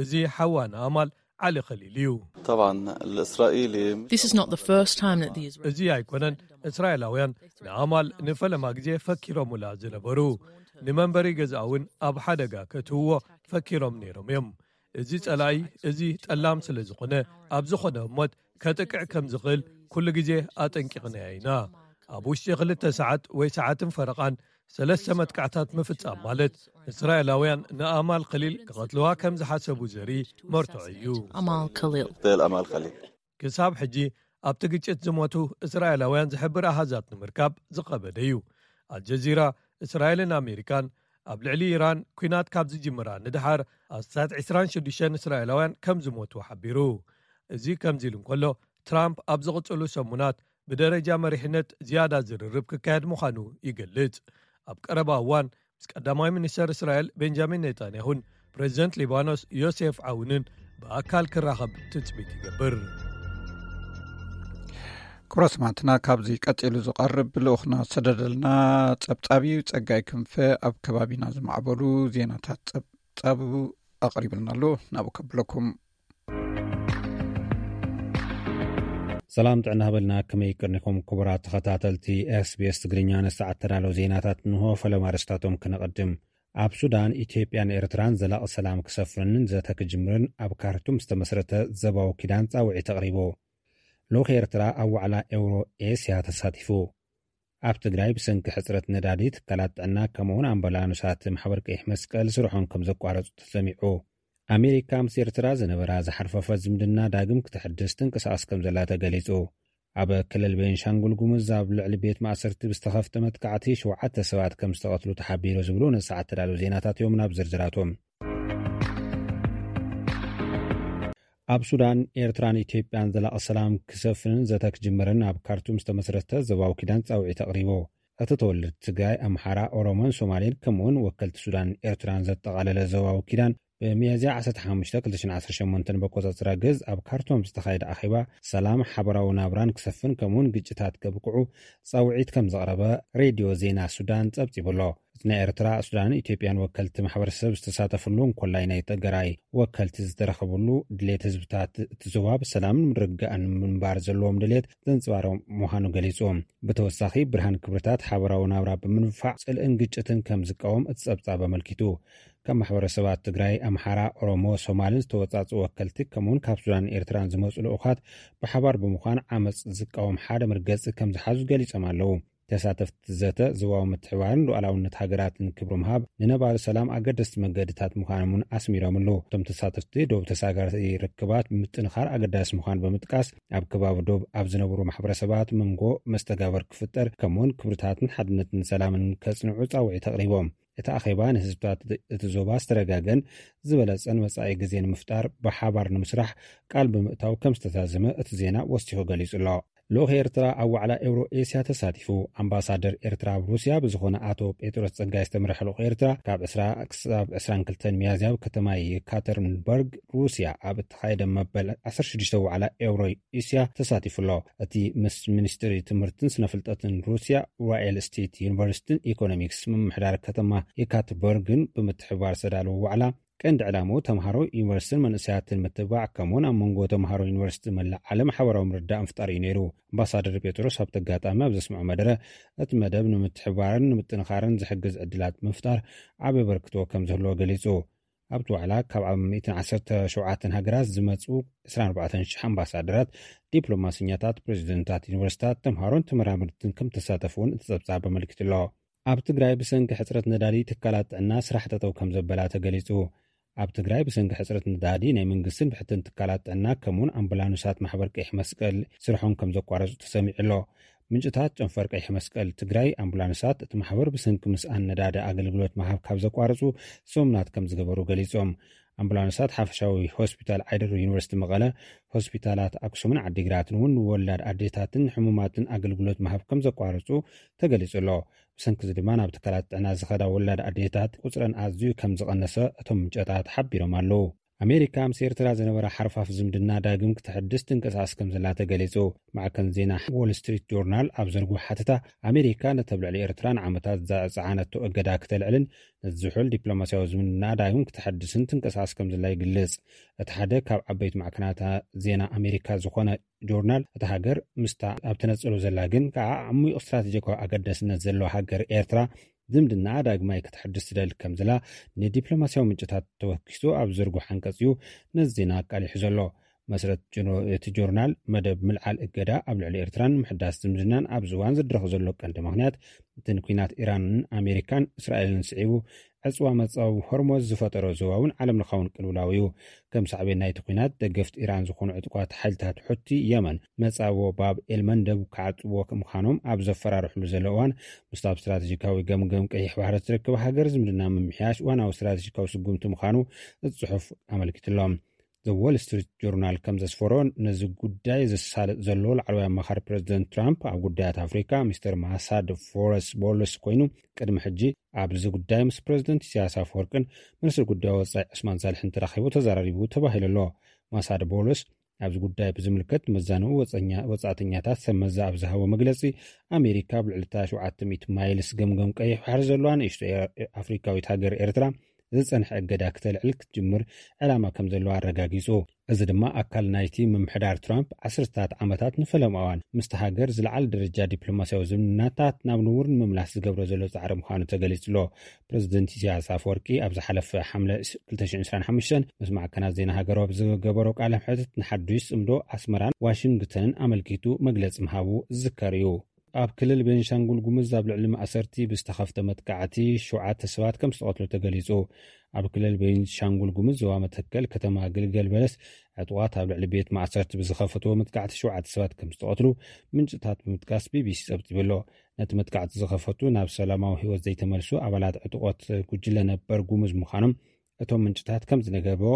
እዚ ሓዋ ንኣማል ዓሊ ከሊል እዩ። طبعا الإسرائيلي This is not the first time that the Israeli እዚ ኣይኮነን እስራኤላውያን ንኣማል ንፈለማ ግዜ ፈኪሮምላ ዝነበሩ። ንመንበሪ ገዛእ እውን ኣብ ሓደጋ ከእትውዎ ፈኪሮም ነይሮም እዮም። እዚ ጸላኢ እዚ ጠላም ስለ ዝኾነ ኣብ ዝኾነ ህሞት ከጥቅዕ ከም ዝኽእል ኩሉ ግዜ ኣጠንቂቕናያ ኢና። ኣብ ውሽጢ ክልተ ሰዓት ወይ ሰዓትን ፈረቓን ሰለስተ መጥቃዕታት ምፍጻም ማለት እስራኤላውያን ንኣማል ከሊል ክቐትልዋ ከም ዝሓሰቡ ዘርኢ መርትዖ እዩ። Amal Khalil. اغتيال أمال خليل ክሳብ ሕጂ ኣብቲ ግጭት ዝሞቱ እስራኤላውያን ዝሕብር ኣሃዛት ንምርካብ ዝኸበደ እዩ። ኣልጀዚራ፣ እስራኤልን ኣሜሪካን ኣብ ልዕሊ ኢራን ኲናት ካብ ዝጅምራ ንድሓር ኣስታት ዕስራን ሽዱሽተን እስራኤላውያን ከም ዝሞቱ ሓቢሩ። እዚ ከምዚ ኢሉ እንከሎ፣ ትራምፕ ኣብ ዝቕጽሉ ሰሙናት ብደረጃ መሪሕነት ዝያዳ ዝርርብ ክካየድ ምዃኑ ይገልጽ። ኣብ ቀረባ እዋን ምስ ቀዳማይ ሚኒስተር እስራኤል ቤንጃሚን ኔታንያሁን ፕሬዚደንት ሊባኖስ ዮሴፍ ዓውንን ብኣካል ክራኸብ ትጽቢት ይገብር። ክቡራት ሰማዕትና፣ ካብዚ ቀጺሉ ዝቐርብ ልኡኽና ዝሰደደልና ጸብጻብ እዩ። ጸጋይ ክንፈ ኣብ ከባቢና ዝማዕበሉ ዜናታት ጸብጻቡ ኣቕሪብልና ኣሎ። ናብኡ ከብለኩም። ሰላም ጥዕና ሃበልና። ከመይ ቅርኒኹም ክቡራት ተኸታተልቲ ኤስቢኤስ ትግርኛ? ንሰዓት ተዳለዉ ዜናታት እንሆ። ፈለማ ኣርእስታቶም ክነቐድም። ኣብ ሱዳን፣ ኢትዮጵያን ኤርትራን ዘላቒ ሰላም ክሰፍንን ዘተ ክጅምርን ኣብ ካርቱም ዝተመስረተ ዘባዊ ኪዳን ጻውዒት ኣቕሪቡ። ልኡኽ ኤርትራ ኣብ ዋዕላ ኤውሮ ኤስያ ተሳቲፉ። ኣብ ትግራይ ብሰንኪ ሕጽረት ነዳዲ ትካላት ጥዕና ከምኡውን ኣምቡላንሳት ማሕበር ቀይሕ መስቀል ስርሖም ከም ዘቋረጹ ተሰሚዑ። ኣሜሪካ ምስ ኤርትራ ዝነበራ ዝሓርፈፈት ዝምድና ዳግም ክተሕድስ ትንቅሳቐስ ከም ዘላ ተገሊጹ። ኣብ ክልል ቤንሻንጉል ጉሙዝ ኣብ ልዕሊ ቤት ማእሰርቲ ብዝተኸፍተ መጥቃዕቲ ሸውዓተ ሰባት ከም ዝተቐትሉ ተሓቢሩ ዝብሉ ነሰዓት ተዳለዉ ዜናታት እዮም። ናብ ዝርዝራቶም። ኣብ ሱዳን፣ ኤርትራን ኢትዮጵያን ዘላቒ ሰላም ክሰፍንን ዘተ ክጅምርን ኣብ ካርቱም ዝተመስረተ ዞባዊ ኪዳን ጻውዒት ኣቕሪቡ። እቲ ተወለድቲ ትግራይ፣ ኣምሓራ፣ ኦሮሞን ሶማሌን ከምኡውን ወከልቲ ሱዳን ኤርትራን ዘጠቓለለ ዞባዊ ኪዳን ብሚያዝያ ዓሰርተ ሓሙሽተ ክልተ ሽሕን ዓሰርተ ሸሞንተን በቆጻጽራ ግዝ ኣብ ካርቱም ዝተኻየደ ኣኼባ ሰላም ሓበራዊ ናብራን ክሰፍን ከምኡውን ግጭታት ከብቅዑ ጻውዒት ከም ዘቕረበ ሬድዮ ዜና ሱዳን ጸብጺቡ ኣሎ። እቲ ናይ ኤርትራ፣ ሱዳንን ኢትዮጵያን ወከልቲ ማሕበረሰብ ዝተሳተፍሉ እንኮላይ ናይ ትግራይ ወከልቲ ዝተረኸብሉ ድሌት ህዝብታት እቲ ዞባ ብሰላምን ምርግጋእን ምንባር ዘለዎም ድሌት ዘንጽባረቕ ምዃኑ ገሊጹ። ብተወሳኺ ብርሃን ክብርታት ሓበራዊ ናብራ ብምንፋዕ ጽልእን ግጭትን ከም ዝቃወም እቲ ጸብጻብ ኣመልኪቱ። ካብ ማሕበረሰባት ትግራይ፣ ኣምሓራ፣ ኦሮሞ፣ ሶማልን ዝተወጻጹ ወከልቲ ከምኡውን ካብ ሱዳንን ኤርትራን ዝመጹ ልኡኻት ብሓባር ብምዃን ዓመጽ ዝቃወም ሓደ መርገጺ ከም ዝሓዙ ገሊጾም ኣለዉ። ተሳተፍቲ ዘተ ዞባዊ ምትሕባርን ሉዓላውነት ሃገራትን ክብሪ ምሃብ፣ ንነባሪ ሰላም ኣገደስቲ መገድታት ምዃኖምን ኣስሚሮምሉ። እቶም ተሳተፍቲ ዶብ ተሳጋሪ ርክባት ምጥንኻር ኣገዳሲ ምዃኑ ብምጥቃስ፣ ኣብ ከባቢ ዶብ ኣብ ዝነብሩ ማሕበረሰባት መንጎ መስተጋብር ክፍጠር ከምኡውን ክብርታትን ሓድነትን ሰላምን ከጽንዑ ጻውዒት ኣቕሪቦም። እቲ ኣኼባ ንህዝብታት እቲ ዞባ ዝተረጋገን ዝበለጸን መጻኢ ግዜ ንምፍጣር ብሓባር ንምስራሕ ቃል ብምእታው ከም ዝተዛዘመ እቲ ዜና ወሲኹ ገሊጹ ኣሎ። ልኡኽ ኤርትራ ኣብ ዋዕላ ኤውሮ ኤስያ ተሳቲፉ። ኣምባሳደር ኤርትራ ኣብ ሩስያ ብዝኾነ ኣቶ ጴጥሮስ ጸጋይ ዝተመርሐ ልኡኽ ኤርትራ ካብ ዕስራ ክሳብ ዕስራን ክልተን ሚያዝያ ኣብ ከተማ የካተሪንበርግ ሩስያ ኣብ እተኻየደ መበል ዓሰርተ ሽዱሽተ ዋዕላ ኤውሮ ኤስያ ተሳቲፉ ኣሎ። እቲ ምስ ሚኒስትሪ ትምህርትን ስነፍልጠትን ሩስያ፣ ኡራኤል ስቴት ዩኒቨርሲቲን ኢኮኖሚክስ ምምሕዳር ከተማ የካተሪንበርግን ብምትሕብባር ዝተዳለወ ዋዕላ ቀንዲ ዕላምኡ ተምሃሮ ዩኒቨርሲቲን መንእሰያትን ምትብባዕ ከምኡውን ኣብ መንጎ ተምሃሮ ዩኒቨርሲቲ መላእ ዓለም ሓበራዊ ምርዳእ ምፍጣር እዩ ነይሩ። ኣምባሳደር ጴጥሮስ ኣብቲ ኣጋጣሚ ኣብ ዘስምዖ መደረ፣ እቲ መደብ ንምትሕብባርን ንምጥንኻርን ዝሕግዝ ዕድላት ብምፍጣር ዓቢ ኣበርክቶ ከም ዝህልዎ ገሊጹ። ኣብቲ ዋዕላ ካብ ኣብ ሚእትን ዓሰርተ ሸውዓተን ሃገራት ዝመጹ ዕስራን ኣርባዕተን ሽሕ ኣምባሳደራት፣ ዲፕሎማሰኛታት፣ ፕሬዚደንታት ዩኒቨርሲታት፣ ተምሃሮን ተመራመርትን ከም ተሳተፉ እውን እቲ ጸብጻብ ኣመልኪቱ ኣሎ። ኣብ ትግራይ ብሰንኪ ሕጽረት ነዳዲ ትካላት ጥዕና ስራሕ ጠጠው ከም ዘበላ ተገሊጹ። ኣብ ትግራይ ብሰንኪ ሕጽረት ነዳዲ ናይ መንግስትን ብሕትን ትካላት ጥዕና ከምኡውን ኣምቡላንሳት ማሕበር ቀይሕ መስቀል ስርሖም ከም ዘቋረጹ ተሰሚዑ ኣሎ። ምንጭታት ጨንፈር ቀይሕ መስቀል ትግራይ፣ ኣምቡላንሳት እቲ ማሕበር ብሰንኪ ምስኣን ነዳዲ ኣገልግሎት ምሃብ ካብ ዘቋረጹ ሰሙናት ከም ዝገበሩ ገሊጾም። ኣምቡላንሳት ሓፈሻዊ ሆስፒታል ዓይደር፣ ዩኒቨርሲቲ መቐለ፣ ሆስፒታላት ኣክሱምን ዓዲግራትን እውን ንወላድ ኣዴታትን ሕሙማትን ኣገልግሎት ምሃብ ከም ዘቋረጹ ተገሊጹ ኣሎ። ብሰንኪ እዚ ድማ ናብ ትካላት ጥዕና ዝኸዳ ወላድ ኣዴታት ቁጽረን ኣዝዩ ከም ዝቐነሰ እቶም ምንጨታት ሓቢሮም ኣለዉ። ኣሜሪካ ምስ ኤርትራ ዝነበራ ሓርፋፍ ዝምድና ዳግም ክተሐድስ ትንቀሳቐስ ከም ዘላ ተገሊጹ። ማዕከን ዜና ዎል ስትሪት ጆርናል ኣብ ዘርግሖ ሓተታ፣ ኣሜሪካ ነቲ ኣብ ልዕሊ ኤርትራ ንዓመታት ዝጸዓነቶ እገዳ ክተልዕልን ነቲ ዝሑል ዲፕሎማስያዊ ዝምድና ዳግም ክተሐድስን ትንቀሳቐስ ከም ዘላ ይግልጽ። እቲ ሓደ ካብ ዓበይቲ ማዕከናት ዜና ኣሜሪካ ዝኾነ ጆርናል፣ እታ ሃገር ምስታ ኣብ ተነጽሎ ዘላ ግን ከኣ ዓሚቕ ስትራቴጂካዊ ኣገዳስነት ዘለዋ ሃገር ኤርትራ ዝምድናኣ ዳግማይ ክትሕድስ ትደሊ ከም ዘላ ንዲፕሎማስያዊ ምንጭታት ተወኪሱ ኣብ ዘርግሖ ዓንቀጽ እዩ ነዚ ዜና ኣቃሊሑ ዘሎ። መስረት ጆ-፣ እቲ ጆርናል፣ መደብ ምልዓል እገዳ ኣብ ልዕሊ ኤርትራን ምሕዳስ ዝምድናን ኣብዚ እዋን ዝድረኽ ዘሎ ቀንዲ ምኽንያት፣ እቲ ንኲናት ኢራንን ኣሜሪካን እስራኤልን ስዒቡ ዕጽዋ መጻወ ሆርሞዝ ዝፈጠሮ ዞባውን ዓለምለኻውን ቅልውላው እዩ። ከም ሳዕቤን ናይቲ ኲናት፣ ደገፍቲ ኢራን ዝኾኑ ዕጡቓት ሓይልታት ሑቲ የመን መጻወ ባብ ኤልመንደብ ክዓጽዎ ምዃኖም ኣብ ዘፈራርሕሉ ዘሎ እዋን፣ ምስቲ ኣብ ስትራቴጂካዊ ገምገም ቀይሕ ባሕሪ እትርከብ ሃገር ዝምድና ምምሕያሽ ዋናዊ ስትራቴጂካዊ ስጉምቲ ምዃኑ እቲ ጽሑፍ ኣመልኪቱ ኣሎ። ዘ ዎል ስትሪት ጆርናል ከም ዘስፈሮ፣ ነዚ ጉዳይ ዘሳልጥ ዘሎ ላዕለዋይ ኣማኻሪ ፕረዚደንት ትራምፕ ኣብ ጉዳያት ኣፍሪካ ሚስተር ማሳድ ፎረስ ቦለስ ኮይኑ፣ ቅድሚ ሕጂ ኣብዚ ጉዳይ ምስ ፕረዚደንት ኢሳያስ ኣፈወርቅን ሚኒስትር ጉዳይ ወጻኢ ዑስማን ሳልሕን ተራኺቡ ተዘራሪቡ ተባሂሉ ኣሎ። ማሳድ ቦለስ ኣብዚ ጉዳይ ብዝምልከት መዛንኡ ወጸኛ-፣ ወጻእተኛታት ሰብ መዛ ኣብ ዝሃቦ መግለጺ፣ ኣሜሪካ ኣብ ልዕሊ እታ ሸውዓተ ሚእቲ ማይልስ ገምገም ቀይሕ ባሕሪ ዘለዋ ንእሽቶ ኤ-፣ ኣፍሪካዊት ሃገር ኤርትራ ዝጸንሐ እገዳ ክተልዕል ክትጅምር ዕላማ ከም ዘለዋ ኣረጋጊጹ። እዚ ድማ ኣካል ናይቲ ምምሕዳር ትራምፕ ዓሰርታት ዓመታት ንፈለማ እዋን ምስቲ ሃገር ዝለዓለ ደረጃ ዲፕሎማስያዊ ዝምድናታት ናብ ንቡር ንምምላስ ዝገብሮ ዘሎ ጻዕሪ ምዃኑ ተገሊጹ ኣሎ። ፕረዚደንት ኢሳያስ ኣፈወርቂ ኣብ ዝሓለፈ ሓምለ ክልተ ሽሕን ዕስራን ሓሙሽተን ምስ ማዕከናት ዜና ሃገሩ ኣብ ዝገበሮ ቃለ መሕትት ንሓዱሽ ጽምዶ ኣስመራን ዋሽንግተንን ኣመልኪቱ መግለጺ ምሃቡ ዝዝከር እዩ። ኣብ ክልል ቤንሻንጉል ጉሙዝ ኣብ ልዕሊ ማእሰርቲ ብዝተኸፍተ መጥቃዕቲ ሸውዓተ ሰባት ከም ዝተቐትሉ ተገሊጹ። ኣብ ክልል ቤንሻንጉል ጉሙዝ ዞባ መተከል ከተማ ግልገል በለስ ዕጡቓት ኣብ ልዕሊ ቤት ማእሰርቲ ብዝኸፈትዎ መጥቃዕቲ ሸውዓተ ሰባት ከም ዝተቐትሉ ምንጭታት ብምጥቃስ ቢቢሲ ጸብጺቡ ኣሎ። ነቲ መጥቃዕቲ ዝኸፈቱ ናብ ሰላማዊ ህይወት ዘይተመልሱ ኣባላት ዕጡቖት ጉጅለ ነበር ጉሙዝ ምዃኖም እቶም ምንጭታት ከም ዝነገርዎ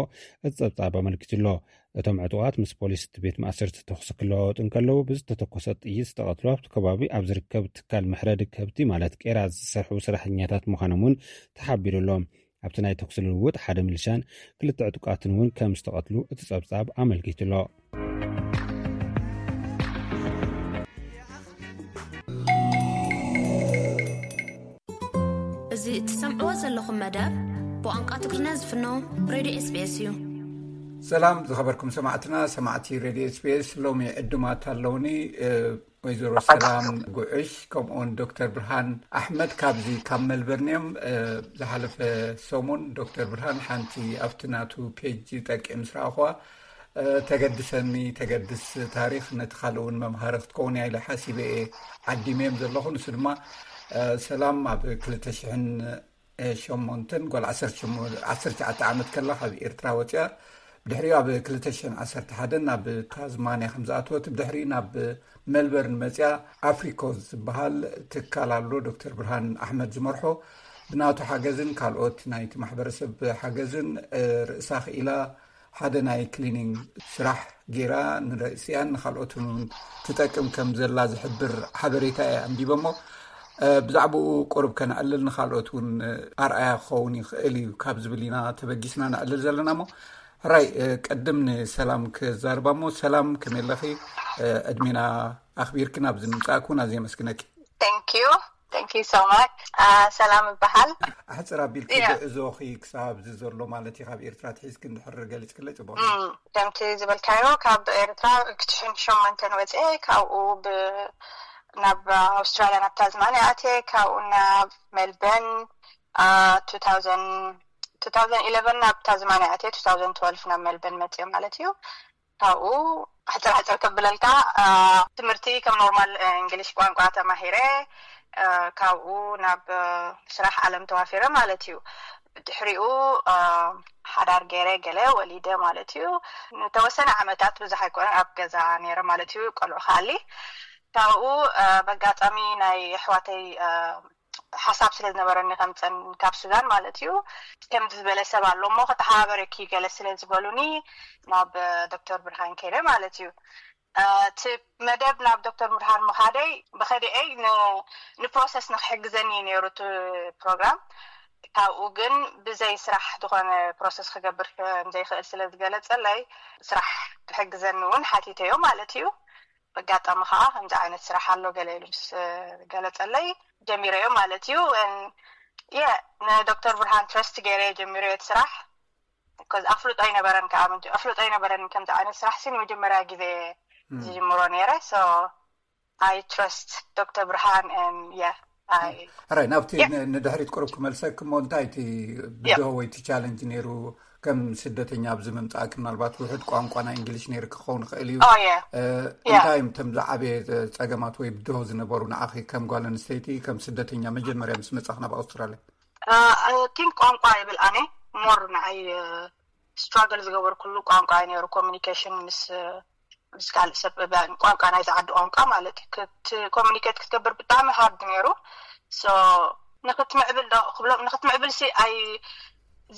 እቲ ጸብጻብ ኣመልኪቱ ኣሎ። እቶም ዕጡቓት ምስ ፖሊስ እቲ ቤት ማእሰርቲ ተኹሲ ክለዋወጡ እንከለዉ ብዝተተኮሰ ጥይት ዝተቐትሉ ኣብቲ ከባቢ ኣብ ዝርከብ ትካል መሕረዲ ከብቲ ማለት ቄራ ዝሰርሑ ሰራሕተኛታት ምዃኖም እውን ተሓቢሩ ኣሎ። ኣብቲ ናይ ተኩሲ ልውውጥ ሓደ ሚሊሻን ክልተ ዕጡቃትን እውን ከም ዝተቐትሉ እቲ ጸብጻብ ኣመልኪቱ ኣሎ። እዚ እትሰምዕዎ ዘለኹም መደብ ብቋንቋ ትግርኛ ዝፍኖ ሬድዮ ኤስቢኤስ እዩ። ሰላም ዝኸበርኩም ሰማዕትና፣ ሰማዕቲ ሬድዮ ኤስቢኤስ፣ ሎሚ ዕዱማት ኣለውኒ። ወይዘሮ ሰላም ጉዕሽ ከምኡውን ዶክተር ብርሃን ኣሕመድ ካብዚ ካብ መልበርን እዮም። ዝሓለፈ ሰሙን ዶክተር ብርሃን ሓንቲ ኣብቲ ናቱ ፔጅ ጠቂዑ ምስ ረኣኹዋ፣ ተገድሰኒ፣ ተገድስ ታሪኽ፣ ነቲ ካልእ እውን መምሃሪ ክትከውን እያ ኢለ ሓሲበ እየ ዓዲመ እዮም ዘለኹ። ንሱ ድማ ሰላም ኣብ ክልተ ሽሕን ሸሞንተን ጓል ዓሰርተ ሸሞንተ ዓመት ከላ ካብ ኤርትራ ወፂኣ፣ ብድሕሪኡ ኣብ ክልተ ሽሕን ዓሰርተ ሓደን ናብ ታዝማንያ ከም ዝኣተወት፣ ብድሕሪኡ ናብ ሜልበርን መፅያ ኣፍሪኮ ዝበሃል ትካል ኣሎ ዶክተር ብርሃን ኣሕመድ ዝመርሖ። ብናቱ ሓገዝን ካልኦት ናይቲ ማሕበረሰብ ሓገዝን ርእሳ ክኢላ ሓደ ናይ ክሊኒንግ ስራሕ ገይራ ንርእሲኣን ንካልኦትን እውን ትጠቅም ከም ዘላ ዝሕብር ሓበሬታ እየ ኣንቢበ እሞ፣ ብዛዕባኡ ቁሩብ ከነዕልል ንካልኦት እውን ኣርኣያ ክኸውን ይኽእል እዩ ካብ ዝብል ኢና ተበጊስና ነዕልል ዘለና እሞ፣ ሕራይ ቅድም ንሰላም ክዛርባ እሞ፣ ሰላም ከመይ ኣለኺ? ዕድሜና ኣኽቢርኪ ናብዚ ምምጻእኪ እውን ኣዝየ ኣመስግነኪ። Thank you. Thank you so much. ሰላም እበሃል። ኣሕጽር ኣቢልኪ፣ ጉዕዞኺ ክሳብ እዚ ዘሎ ማለት እዩ፣ ካብ ኤርትራ ትሒዝኪ እንድሕር ገሊጽክለይ ጽቡቕ። ከምቲ ዝበልካዮ ካብ ኤርትራ ክልተ ሽሕን ሸሞንተን ወፅኤ፣ ካብኡ ናብ ኣውስትራልያ ናብ ታዝማንያ ኣትየ፣ ካብኡ ናብ ሜልበርን two thousand two thousand eleven ናብ ታዝማንያ ኣትየ፣ two thousand twelve ናብ ሜልበርን መፅየ ማለት እዩ። ካብኡ ሕፅር ሕፅር ከብለልካ፣ ትምህርቲ ከም ኖርማል እንግሊሽ ቋንቋ ተማሂረ፣ ካብኡ ናብ ስራሕ ዓለም ተዋፊረ ማለት እዩ። ብድሕሪኡ ሓዳር ገይረ፣ ገለ ወሊደ ማለት እዩ። ንተወሰነ ዓመታት፣ ብዙሕ ኣይኮነን፣ ኣብ ገዛ ነይረ ማለት እዩ። ቆልዑ ከኣሊ ካብኡ በጋጣሚ ናይ ኣሕዋተይ ሓሳብ ስለ ዝነበረኒ ከምፀን ካብ ሱዳን ማለት እዩ። ከምዚ ዝበለ ሰብ ኣሎ እሞ ከተሓባበረኪ ገለ ስለ ዝበሉኒ ናብ ዶክተር ብርሃን ከይደ ማለት እዩ። እቲ መደብ ናብ ዶክተር ብርሃን ምኻደይ ብኸዲኤይ ንፕሮሰስ ንክሕግዘኒ እዩ ነይሩ እቲ ፕሮግራም። ካብኡ ግን ብዘይ ስራሕ ዝኾነ ፕሮሰስ ክገብር ከምዘይክእል ስለ ዝገለፀለይ ስራሕ ክሕግዘኒ እውን ሓቲተዮ ማለት እዩ። በጋጣሚ ከዓ ከምዚ ዓይነት ስራሕ ኣሎ ገለ ኢሉ ምስ ገለፀለይ ጀሚረዮ ማለት እዩ። የ ንዶክተር ብርሃን ትረስት ገይረ ጀሚረዮ እቲ ስራሕ። ኮዝ ኣፍልጦ ኣይነበረን ከዓ ምንጭ ኣፍልጦ ኣይነበረን ከምዚ ዓይነት ስራሕ ሲ ንመጀመርያ ግዜ ዝጅምሮ ነይረ። So I trust ዶክተር ብርሃን and yeah I ሕራይ ናብቲ ንድሕሪት ቁሩብ ክመልሰክ እሞ፣ እንታይ እቲ ብድሆ ወይ እቲ ቻለንጅ ነይሩ? ከም ስደተኛ ኣብዚ ምምፃእክ ምናልባት ውሕድ ቋንቋ ናይ እንግሊሽ ነይሩ ክኸውን ይኽእል እዩ። እንታይ እዮም እቶም ዝዓበየ ፀገማት ወይ ብድሆ ዝነበሩ ንዓኺ ከም ጓል ኣንስተይቲ ከም ስደተኛ መጀመርያ ምስ መፃኽ ናብ ኣውስትራልያ? ቲንክ ቋንቋ ይብል ኣነ ሞር ንዓይ ስትራግል ዝገበርኩሉ ቋንቋ እዩ ነይሩ። ኮሚኒኬሽን ምስ ምስ ካልእ ሰብ ቋንቋ ናይ ዝዓዲ ቋንቋ ማለት እዩ። ኮሚኒኬት ክትገብር ብጣዕሚ ሃርድ ነይሩ። ንክትምዕብል ዶ ክብሎም ንክትምዕብል ሲ ኣይ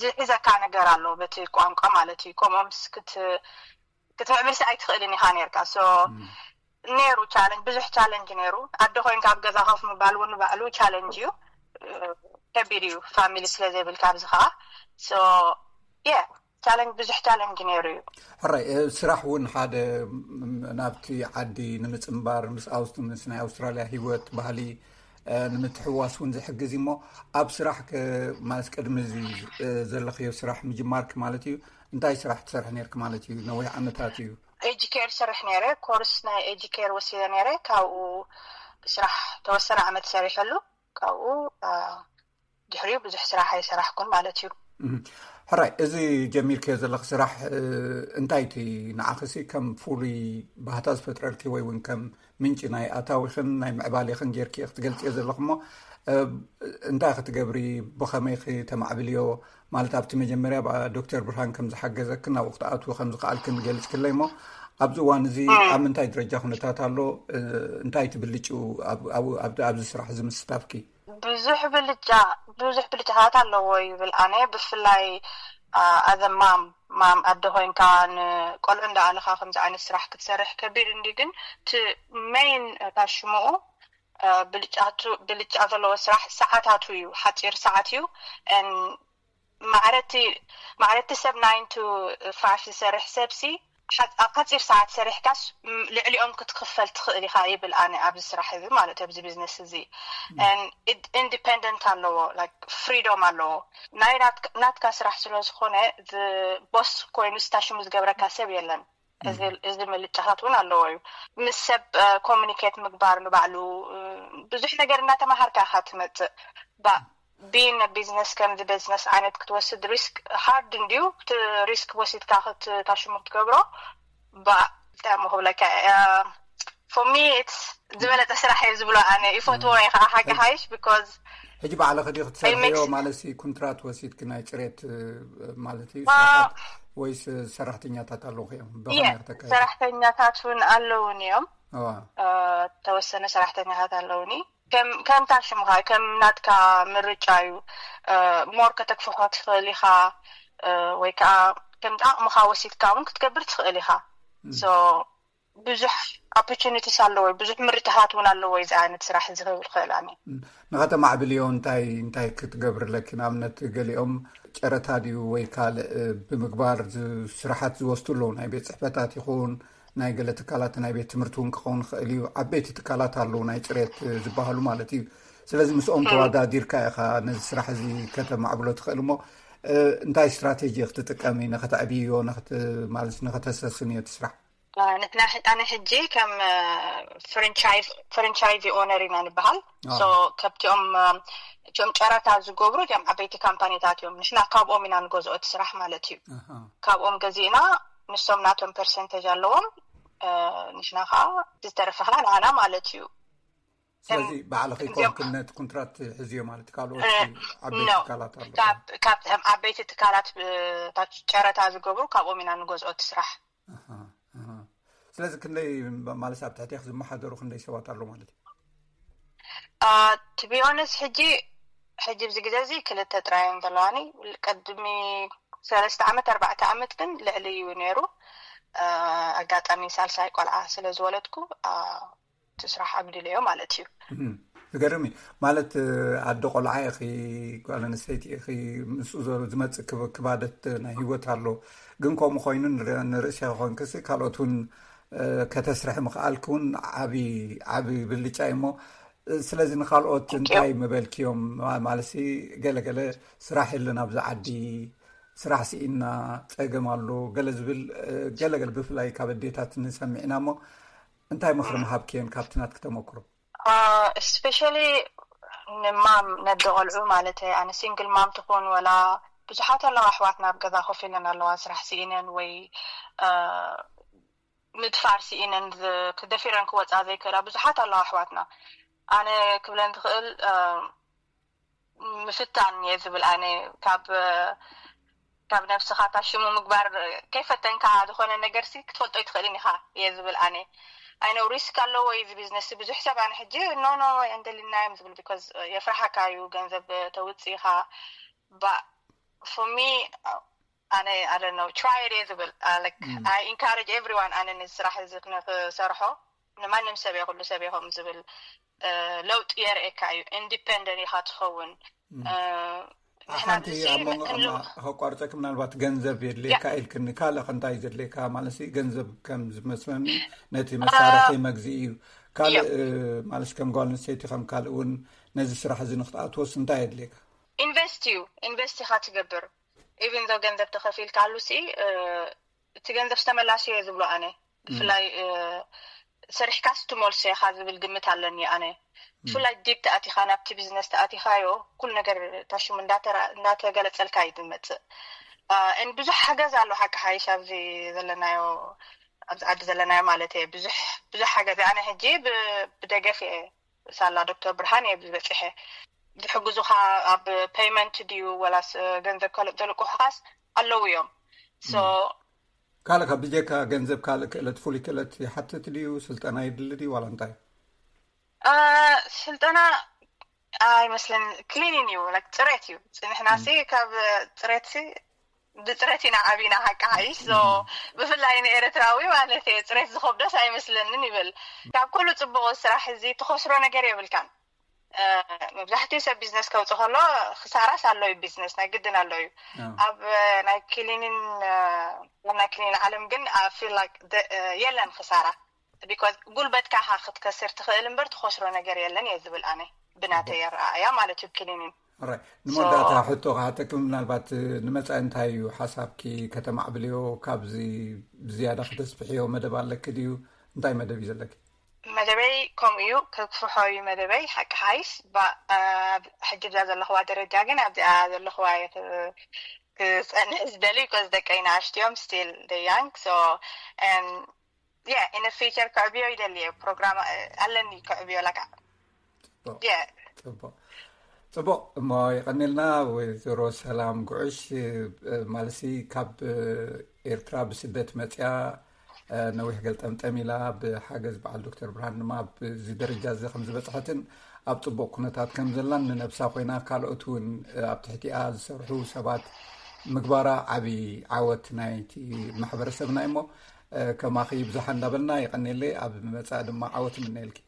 ዝሕዘካ ነገር ኣሎ በቲ ቋንቋ ማለት እዩ። ከምኦም ክትምዕብል ሲ ኣይትኽእልን ኢኻ ነርካ። ነይሩ ቻለንጅ፣ ብዙሕ ቻለንጅ ነይሩ። ኣደ ኮይንካ ኣብ ገዛ ኮፍ ምባል እውን ባዕሉ ቻለንጅ እዩ፣ ከቢድ እዩ ፋሚሊ ስለ ዘይብልካ። ኣብዚ ከዓ የ ቻለንጅ ብዙሕ ቻለንጅ ነይሩ እዩ። ሕራይ ስራሕ እውን ሓደ ናብቲ ዓዲ ንምፅንባር ምስ ኣውስ ምስ ናይ ኣውስትራልያ ህይወት ባህሊ ንምትሕዋስ እውን ዝሕግዝ እሞ ኣብ ስራሕ ማለት ቅድሚ ዘለኽዮ ስራሕ ምጅማርክ ማለት እዩ እንታይ ስራሕ ትሰርሕ ነርክ ማለት እዩ? ነዊሕ ዓመታት እዩ። ኤጅ ኬር ሰርሕ ነረ ኮርስ ናይ ኤጅ ኬር ወሲደ ነረ ካብኡ ስራሕ ተወሰነ ዓመት ሰሪሐሉ ካብኡ ድሕሪኡ ብዙሕ ስራሕ ኣይሰራሕኩን ማለት እዩ። ሕራይ እዚ ጀሚርክዮ ዘለኽ ስራሕ እንታይ እቲ ንዓኽሲ ከም ፍሉይ ባህታ ዝፈጥረልኪ ወይ እውን ከም ምንጪ ናይ ኣታዊኽን ናይ ምዕባሌኽን ጌርኪ ክትገልፅዮ ዘለኹ እሞ እንታይ ክትገብሪ ብኸመይ ክተማዕብልዮ ማለት ኣብቲ መጀመርያ ዶክተር ብርሃን ከም ዝሓገዘክን ናብኡ ክትኣትዊ ከም ዝኽኣልክን ገልፅክለይ እሞ ኣብዚ እዋን እዚ ኣብ ምንታይ ደረጃ ኩነታት ኣሎ? እንታይ ትብልጭ ኣብዚ ስራሕ እዚ ምስታፍኪ? ብዙሕ ብልጫ ብዙሕ ብልጫታት ኣለዎ ይብል ኣነ ብፍላይ ኣዘማም ማም ኣደ ኮይንካ ንቆልዑ እንዳኣለካ ከምዚ ዓይነት ስራሕ ክትሰርሕ ከቢድ እንዲ ግን እቲ ሜን እታ ሽምኡ ብልጫ ዘለዎ ስራሕ ሰዓታቱ እዩ ሓፂር ሰዓት እዩ ማዕረቲ ማዕረቲ ሰብ ናይን ቱ ፋይፍ ዝሰርሕ ሰብሲ ኣብ ሓፂር ሰዓት ሰሪሕካስ ልዕሊኦም ክትክፈል ትኽእል ኢኻ ይብል ኣነ ኣብዚ ስራሕ እዚ ማለት ኣብዚ ቢዝነስ እዚ ኢንዲፐንደንት ኣለዎ ፍሪዶም ኣለዎ ናይ ናትካ ስራሕ ስለ ዝኾነ ቦስ ኮይኑ ስታሽሙ ዝገብረካ ሰብ የለን እዚ ምልጫታት እውን ኣለዎ እዩ ምስ ሰብ ኮሚኒኬት ምግባር ንባዕሉ ብዙሕ ነገር እናተማሃርካ ኢኻ ትመፅእ ቢን ቢዝነስ ከምዚ ቢዝነስ ዓይነት ክትወስድ ሪስክ ሃርድ እንድዩ እቲ ሪስክ ወሲድካ ክትታሽሙ ክትገብሮ ብጣዕሚ ክብለካ ፎሚ ዝበለጠ ስራሕ እየ ዝብሎ ኣነ ይፈትዎ እየ ከዓ ሓቂ ሓይሽ ቢኮዝ ሕጂ ባዕልኺ ዲ ክትሰርሕዮ ማለት ኩንትራት ወሲድኪ ናይ ፅሬት ማለት እዩ ወይስ ሰራሕተኛታት ኣለውኺ እዮም ብኸመይ ክትካየዲ? ሰራሕተኛታት እውን ኣለውን እዮም ተወሰነ ሰራሕተኛታት ኣለውኒ ከምታ ሽምኻ ከም ናትካ ምርጫ እዩ ሞር ከተክፍሖ ትኽእል ኢኻ ወይ ከዓ ከምቲ ኣቕምኻ ወሲድካ እውን ክትገብር ትኽእል ኢኻ ብዙሕ ኦፖርቹኒቲስ ኣለዎ ብዙሕ ምርጫታት እውን ኣለዎ እዚ ዓይነት ስራሕ እዚ ክብል ክእል ኣነ ንኸተማዕብልዮ እንታይ እንታይ ክትገብርለኪ ንኣብነት ገሊኦም ጨረታ ድዩ ወይ ካልእ ብምግባር ስራሓት ዝወስዱ ኣለዉ ናይ ቤት ፅሕፈታት ይኹን ናይ ገለ ትካላት ናይ ቤት ትምህርቲ እውን ክኸውን ይኽእል እዩ ዓበይቲ ትካላት ኣለዉ ናይ ፅሬት ዝበሃሉ ማለት እዩ ስለዚ ምስኦም ተወዳዲርካ ኢኻ ነዚ ስራሕ እዚ ከተማዕብሎ ትኽእል እሞ እንታይ ስትራቴጂ ክትጥቀሚ ንኸተዕብዮ ማለት ንኸተሰስንዮ እቲ ስራሕ ንሕና ኣነ ሕጂ ከም ፍራንቻይዚ ኦነር ኢና ንበሃል ከብቲኦም እቲኦም ጨረታ ዝገብሩ እቲኦም ዓበይቲ ካምፓኒታት እዮም ንሕና ካብኦም ኢና ንገዝኦ እቲ ስራሕ ማለት እዩ ካብኦም ገዚእና ንሶም ናቶም ፐርሰንተጅ ኣለዎም ንሕና ከዓ ዝተረፈ ከዓ ንዓና ማለት እዩ ስለዚ ባዕልኺ ኮንክነት ኩንትራት ሕዝዮ ማለት ካልኦት ዓበይቲ ትካላት ኣሎ ካብ ዓበይቲ ትካላት ጨረታ ዝገብሩ ካብኦም ኢና ንገዝኦ እቲ ስራሕ ስለዚ ክንደይ ማለት ኣብ ትሕቴክ ዝመሓደሩ ክንደይ ሰባት ኣሎ ማለት እዩ ቱ ቢ ኦነስት ሕጂ ሕጂ ኣብዚ ግዜ እዚ ክልተ ጥራይ እዮም ዘለዋኒ ቅድሚ ሰለስተ ዓመት ኣርባዕተ ዓመት ግን ልዕሊ እዩ ነይሩ ኣጋጣሚ ሳልሳይ ቆልዓ ስለ ዝወለድኩ እቲ ስራሕ ኣጉዲለዮ ማለት እዩ ዝገርም እዩ ማለት ኣደ ቆልዓ ኢኺ ጓል ኣንስተይቲ ኢኺ ምስኡ ዘሎ ዝመፅእ ክባደት ናይ ህይወት ኣሎ ግን ከምኡ ኮይኑ ንርእሲ ኮንክሲ ካልኦት እውን ከተስርሒ ምኽኣልኪ እውን ዓቢ ዓቢ ብልጫ እዩ እሞ ስለዚ ንካልኦት እንታይ ምበልክዮም ማለት ገለገለ ስራሕ የለን ኣብዚ ዓዲ ስራሕ ስኢና ፀገም ኣሎ ገለ ዝብል ገለገለ ብፍላይ ካብ ኣዴታት ንሰሚዕና እሞ እንታይ ምኽሪ ምሃብክየን ካብቲ ናትኪ ተመክሮ especially ንማም ነደ ቆልዑ ማለት ኣነ ሲንግል ማም ትኾን ወላ ብዙሓት ኣለዋ ኣሕዋትና ኣብ ገዛ ኮፍ ኢለን ኣለዋ ስራሕ ስኢነን ወይ ምድፋር ስኢነን ክደፊረን ክወፃ ዘይክእላ ብዙሓት ኣለዋ ኣሕዋትና ኣነ ክብለን ትኽእል ምፍታን እየ ዝብል ኣነ ካብ ካብ ነብስኻ ታሽሙ ምግባር ከይፈተንካ ዝኾነ ነገር ሲ ክትፈልጦ ይትኽእልን ኢኻ እየ ዝብል ኣነ ኣይነው ሪስክ ኣለዎ እዚ ቢዝነስ ብዙሕ ሰብ ኣነ ሕጂ ኖ ኖ እንደሊና እዮም ዝብል because የፍርሓካ እዩ ገንዘብ ተውፅእ ኢኻ ባ for me ኣነ I don't know try it እየ ዝብል I encourage everyone ኣነ ነዚ ስራሕ እዚ ንክሰርሖ ንማንም ሰብ ይኹሉ ሰብ ይኹም ዝብል ለውጢ የርእየካ እዩ independent ኢኻ ትኸውን ሓንቲ ኣብ መንጎ ከቋርፀኪ ምናልባት ገንዘብ የድልየካ ኢልክኒ ካልእ ከንታይ ዘድልየካ ማለት ገንዘብ ከም ዝመስለኒ ነቲ መሳርሒ መግዚ እዩ ካልእ ማለት ከም ጓል ኣንስተይቲ ከም ካልእ እውን ነዚ ስራሕ እዚ ንክትኣትወስ እንታይ የድልየካ? ኢንቨስት እዩ። ኢንቨስት ኢኻ ትገብር። ኢቨን ዶ ገንዘብ ተኸፊልካ ኣሉ ሲ እቲ ገንዘብ ዝተመላሲ እየ ዝብሎ ኣነ። ብፍላይ ሰሪሕካስ ትመልሶ ኢኻ ዝብል ግምት ኣለኒ ኣነ። ብፍላይ ዲፕ ተኣቲኻ ናብቲ ቢዝነስ ተኣቲኻዮ ኩሉ ነገር ታሽሙ እንዳተገለፀልካ እዩ ዝመፅእ። ን ብዙሕ ሓገዝ ኣሎ ሓቂ ሓይሽ ኣብዚ ዘለናዮ ኣብዚ ዓዲ ዘለናዮ ማለት እየ። ብዙሕ ብዙሕ ሓገዝ ኣነ ሕጂ ብደገፍ እየ ሳላ ዶክተር ብርሃን እየ ዝበፂሐ። ዝሕግዙኻ ኣብ ፔይመንት ድዩ ወላስ ገንዘብ ካልእ ዘልቅሑኻስ ኣለዉ እዮም። ካልእ ካብ ብጀካ ገንዘብ ካልእ ክእለት ፍሉይ ክእለት ይሓትት ድዩ? ስልጠና ይድሊ ድዩ ዋላ እንታይ? ስልጠና ኣይመስለን። ክሊኒን እዩ፣ ጽሬት እዩ። ንሕና ሲ ካብ ጽሬት ሲ ብጽሬት ኢና ዓቢና ሓቂ ሓይሽ። ብፍላይ ንኤርትራዊ ማለት እየ ጽሬት ዝኸብዶስ ኣይመስለንን ይብል። ካብ ኩሉ ጽቡቕ ስራሕ እዚ ትኸስሮ ነገር የብልካን። መብዛሕትኡ ሰብ ቢዝነስ ከውፅእ ከሎ ክሳራስ ኣሎ እዩ። ቢዝነስ ናይ ግድን ኣሎ እዩ። ኣብ ናይ ክሊኒን ናይ ክሊኒን ዓለም ግን ፊል የለን ክሳራ። ቢኮዝ ጉልበትካ ኢኻ ክትከስር ትኽእል እምበር ትኸስሮ ነገር የለን እየ ዝብል ኣነ ብናተይ ኣረኣእያ ማለት እዩ። ክሊኒን ንመወዳእታ ሕቶ ክሓተኪ፣ ምናልባት ንመጻኢ እንታይ እዩ ሓሳብኪ ከተማዕብልዮ? ካብዚ ብዝያዳ ከተስፍሕዮ መደብ ኣለኪ ድዩ? እንታይ መደብ እዩ ዘለኪ? መደበይ ከምኡ እዩ፣ ከግፍሖ እዩ መደበይ። ሓቂ ሓይስ ሕጂ ብዛ ዘለኽዋ ደረጃ ግን ኣብዚኣ ዘለኽዋ ክፀንሕ ዝደሊ ኮዝ ደቀይ ንኣሽቱ እዮም፣ ስቲል ደ ያንግ። ሶ ኢነ ፊቸር ክዕብዮ ይደሊ እየ። ፕሮግራም ኣለኒ ክዕብዮ ለካ። ጽቡቕ። ጽቡቕ እሞ ይቐኒልና። ወይዘሮ ሰላም ጉዕሽ ማለሲ ካብ ኤርትራ ብስደት መጽያ ነዊሕ ገልጠምጠም ኢላ ብሓገዝ በዓል ዶክተር ብርሃን ድማ ኣብዚ ደረጃ እዚ ከም ዝበጽሐትን ኣብ ጽቡቕ ኩነታት ከም ዘላን ንነብሳ ኮይና ካልኦት እውን ኣብ ትሕቲኣ ዝሰርሑ ሰባት ምግባራ ዓቢ ዓወት ናይቲ ማሕበረሰብና እሞ ከማኺ ብዙሓ እንዳበልና ይቐኒለይ። ኣብ መጻኢ ድማ ዓወት ምነየልኪ።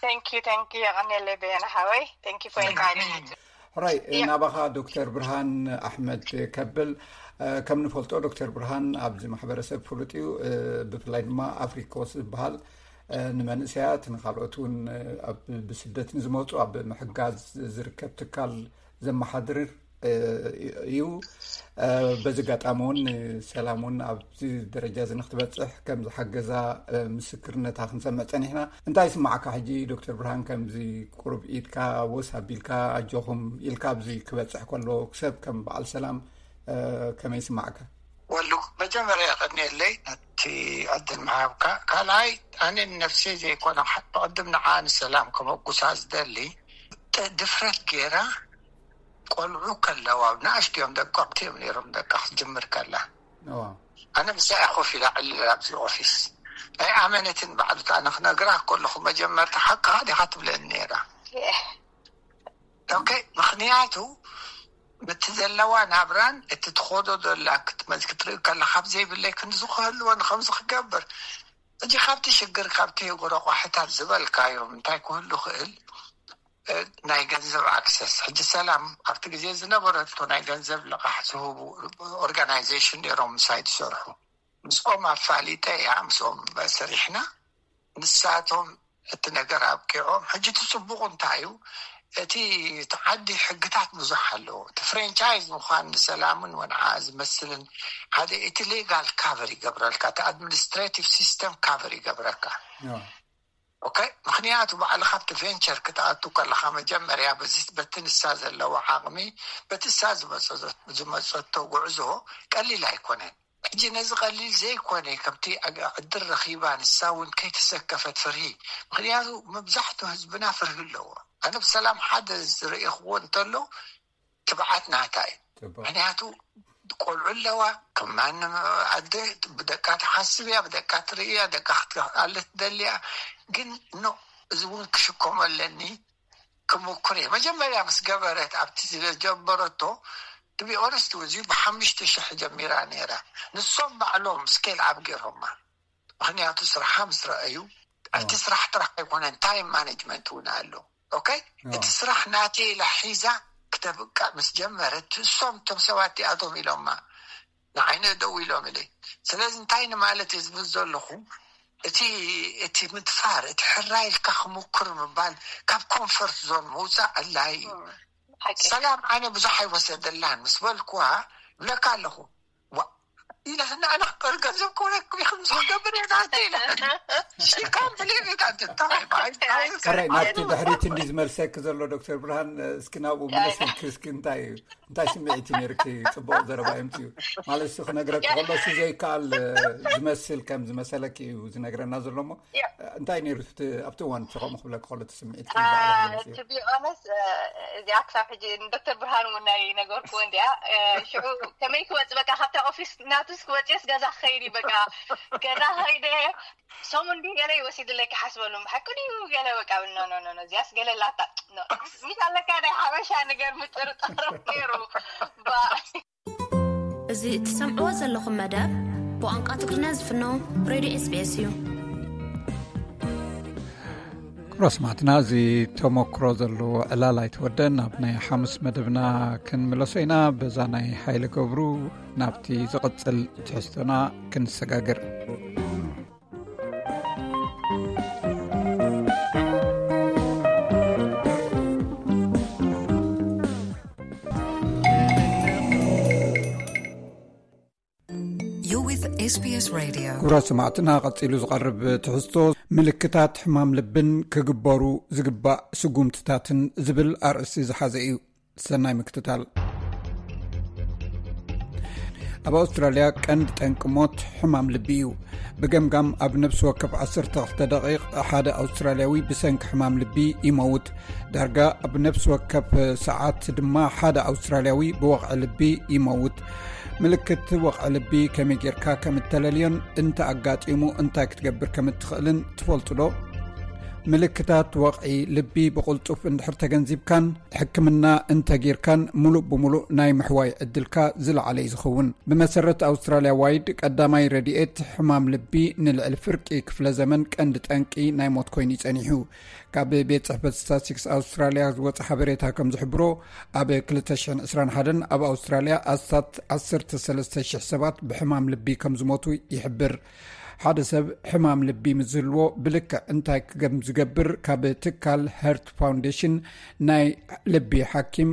Thank you, thank you. የቐኔለይ በየነ ሓወይ። Thank you for inviting me. ሕራይ ናባኻ ዶክተር ብርሃን ኣሕመድ ከብል። ከም ንፈልጦ ዶክተር ብርሃን ኣብዚ ማሕበረሰብ ፍሉጥ እዩ። ብፍላይ ድማ ኣፍሪኮስ ዝበሃል ንመንእሰያት ንካልኦት እውን ኣብ ብስደት ንዝመፁ ኣብ ምሕጋዝ ዝርከብ ትካል ዘመሓድር እዩ። በዚ ኣጋጣሚ እውን ሰላም እውን ኣብዚ ደረጃ እዚ ንክትበፅሕ ከም ዝሓገዛ ምስክርነታ ክንሰምዕ ፀኒሕና። እንታይ ይስማዓካ ሕጂ ዶክተር ብርሃን? ከምዚ ቁሩብ ኢድካ ወስ ኣቢልካ ኣጆኹም ኢልካ ኣብዚ ክበፅሕ ከሎ ሰብ ከም በዓል ሰላም ከመይ ይስማዓካ? ወሉ መጀመርያ ቀኒየለይ ነቲ ዕድል ምሃብካ። ካልኣይ ኣነ ንነፍሲ ዘይኮነ ብቅድም ንዓ ንሰላም ከመጉሳ ዝደሊ ድፍረት ገይራ ቆልዑ ከለዋ ንኣሽቱ እዮም ደቀቕቲ እዮም ነይሮም ደቃ ክትጅምር ከላ ኣነ ምሳያ ኮፍ ኢላ ዕልል ኣብዚ ኦፊስ ኣይኣመነትን ባዕሉታ ኣነ ክነግራ ከለኹ መጀመርታ ሓቅኻ ዲኻ ትብለኒ ነይራ። ኦኬ ምኽንያቱ እቲ ዘለዋ ናብራን እቲ ትኸዶ ዘላ ክትመዝ ክትርኢ ከላ ካብ ዘይብለይ ክንዚ ክህልወን ከምዚ ክገብር እጂ ካብቲ ሽግር ካብቲ ረቋሒታት ዝበልካዮም እንታይ ክህሉ ክእል ናይ ገንዘብ ኣክሰስ ሕጂ ሰላም ኣብቲ ግዜ ዝነበረቶ ናይ ገንዘብ ልቓሕ ዝህቡ ኦርጋናይዜሽን ነይሮም ምሳይ ዝሰርሑ ምስኦም ኣፋሊጠ እያ ምስኦም ሰሪሕና ንሳቶም እቲ ነገር ኣብቂዖም ሕጂ እቲ ፅቡቁ እንታይ እዩ እቲ ዓዲ ሕግታት ብዙሕ ኣለዎ እቲ ፍሬንቻይዝ ምኳን ንሰላምን ወንዓ ዝመስልን ሓደ እቲ ሌጋል ካቨር ይገብረልካ እቲ ኣድሚኒስትሬቲቭ ሲስተም ካቨር ይገብረካ ኦኬ ምክንያቱ ባዕልካ ኣብቲ ቬንቸር ክትኣቱ ከለካ መጀመርያ በቲ ንሳ ዘለዎ ዓቅሚ በቲ ንሳ ዝመፀቶ ጉዕዞ ቀሊል ኣይኮነን ሕጂ ነዚ ቀሊል ዘይኮነ ከምቲ ዕድል ረኺባ ንሳ እውን ከይተሰከፈት ፍርሂ ምክንያቱ መብዛሕቱ ህዝብና ፍርሂ ኣለዎ ኣነ ብሰላም ሓደ ዝርእኽዎ እንተሎ ትብዓት ናታ እዩ ምክንያቱ ቆልዑ ኣለዋ ከም ማንም ኣደ ብደቃ ትሓስብ እያ ብደቃ ትርኢ እያ ደቃ ክትኣለ ትደሊ እያ ግን ኖ እዚ እውን ክሽከሞ ኣለኒ ክምኩር እየ መጀመርያ ምስ ገበረት ኣብቲ ዝጀመረቶ ትቢ ኦነስት እዚ ብሓሙሽተ ሽሕ ጀሚራ ነይራ ንሶም ባዕሎም ስኬል ኣብ ገይሮማ ምክንያቱ ስራሓ ምስ ረኣዩ እቲ ስራሕ ጥራሕ ኣይኮነን ታይም ማኔጅመንት እውን ኣሎ ኦኬ እቲ ስራሕ ናተይ ኢላ ሒዛ ክተብቃ ምስ ጀመረት እሶም እቶም ሰባት እዚኣቶም ኢሎማ ንዓይነ ደው ኢሎም ኢለ ስለዚ እንታይ ንማለት እየ ዝብል ዘለኹ እቲ እቲ ምድፋር፣ እቲ ሕራይ ኢልካ ክምኩር ምባል፣ ካብ ኮንፈርት ዞን ምውፃእ ኣድላይ እዩ። ሰላም ኣነ ብዙሕ ኣይወሰደላን ምስ በልኩዋ፣ ብለካ ኣለኹ። ዋ ኢላ ንኣና ቅር ገንዘብ ክብለኩም ኢኹም ዝክገብር እየ ናተ ኢላ። ሽካም ብሌቤት ኣንተ እንታይ ባይ ሕራይ ናብቲ ድሕሪት እንዲ ዝመልሰኪ ዘሎ ዶክተር ብርሃን፣ እስኪ ናብኡ ምለስ ኢልኪ እስኪ እንታይ እዩ እንታይ ስምዒት እዩ ነይርኪ? ጽቡቕ ዘረባ የምጽኡ ማለት እሱ ክነግረኪ ከሎ እሱ ዘይከኣል ዝመስል ከም ዝመሰለኪ እዩ ዝነግረና ዘሎ እሞ እንታይ ነይሩ ኣብቲ እዋን ከምኡ ክብለኪ ከሎ እቲ ስምዒት? ትቢኦነስ እዚኣ ክሳብ ሕጂ ንዶክተር ብርሃን እውን ናይ ነገርኩዎ እንዲኣ። ሽዑ ከመይ ክወፅ በቃ ካብታ ኦፊስ ናቱስ ክወፅስ ገዛ ክኸይድ እዩ በቃ ገዛ ከይደ ሰሙን ድዩ ገለ ይወሲድለይ ክሓስበሉ ብሓቂ ድዩ ገለ በቃ ብል ኖ ኖ ኖ እዚያስ ገለ ላታ ሚስ ኣለካ ናይ ሓበሻ ነገር ምጥርጣር ነይሩ። እዚ እትሰምዕዎ ዘለኹም መደብ ብቋንቋ ትግርኛ ዝፍኖ ሬድዮ SBS እዩ። ክብሮ ስማዕትና፣ እዚ ተመክሮ ዘለዎ ዕላል ኣይተወደን። ናብ ናይ ሓሙስ መደብና ክንምለሶ ኢና። በዛ ናይ ሓይለ ገብሩ ናብቲ ዝቕጽል ትሕዝቶና ክንሰጋገር። You're with SBS Radio. ክቡራት ሰማዕትና፣ ቀጺሉ ዝቐርብ ትሕዝቶ ምልክታት ሕማም ልብን ክግበሩ ዝግባእ ስጉምትታትን ዝብል ኣርእስቲ ዝሓዘ እዩ። ሰናይ ምክትታል። ኣብ ኣውስትራልያ ቀንዲ ጠንቂ ሞት ሕማም ልቢ እዩ። ብገምጋም ኣብ ነብሲ ወከፍ ዓሰርተ ክልተ ደቂቕ ሓደ ኣውስትራልያዊ ብሰንኪ ሕማም ልቢ ይመውት። ዳርጋ ኣብ ነብሲ ወከፍ ሰዓት ድማ ሓደ ኣውስትራልያዊ ብወቕዒ ልቢ ይመውት። ምልክት ወቕዒ ልቢ ከመይ ጌርካ ከም እተለልዮን እንተ ኣጋጢሙ እንታይ ክትገብር ከም እትኽእልን ትፈልጡ ዶ? ምልክታት ወቕዒ ልቢ ብቕልጡፍ እንድሕር ተገንዚብካን ሕክምና እንተጌርካን፣ ምሉእ ብምሉእ ናይ ምሕዋይ ዕድልካ ዝለዓለ እዩ ዝኸውን። ብመሰረት ኣውስትራልያ ዋይድ፣ ቀዳማይ ረድኤት ሕማም ልቢ ንልዕሊ ፍርቂ ክፍለ ዘመን ቀንዲ ጠንቂ ናይ ሞት ኮይኑ ይጸኒሑ። ካብ ቤት ጽሕፈት ስታትስቲክስ ኣውስትራልያ ዝወጸ ሓበሬታ ከም ዝሕብሮ፣ ኣብ ክልተ ሽሕን ዕስራን ሓደን ኣብ ኣውስትራልያ ኣስታት ዓሰርተ ሰለስተ ሽሕ ሰባት ብሕማም ልቢ ከም ዝሞቱ ይሕብር። ሓደ ሰብ ሕማም ልቢ ምስ ዝህልዎ ብልክዕ እንታይ ከም ዝገብር ካብ ትካል ሀርት ፋውንዴሽን ናይ ልቢ ሓኪም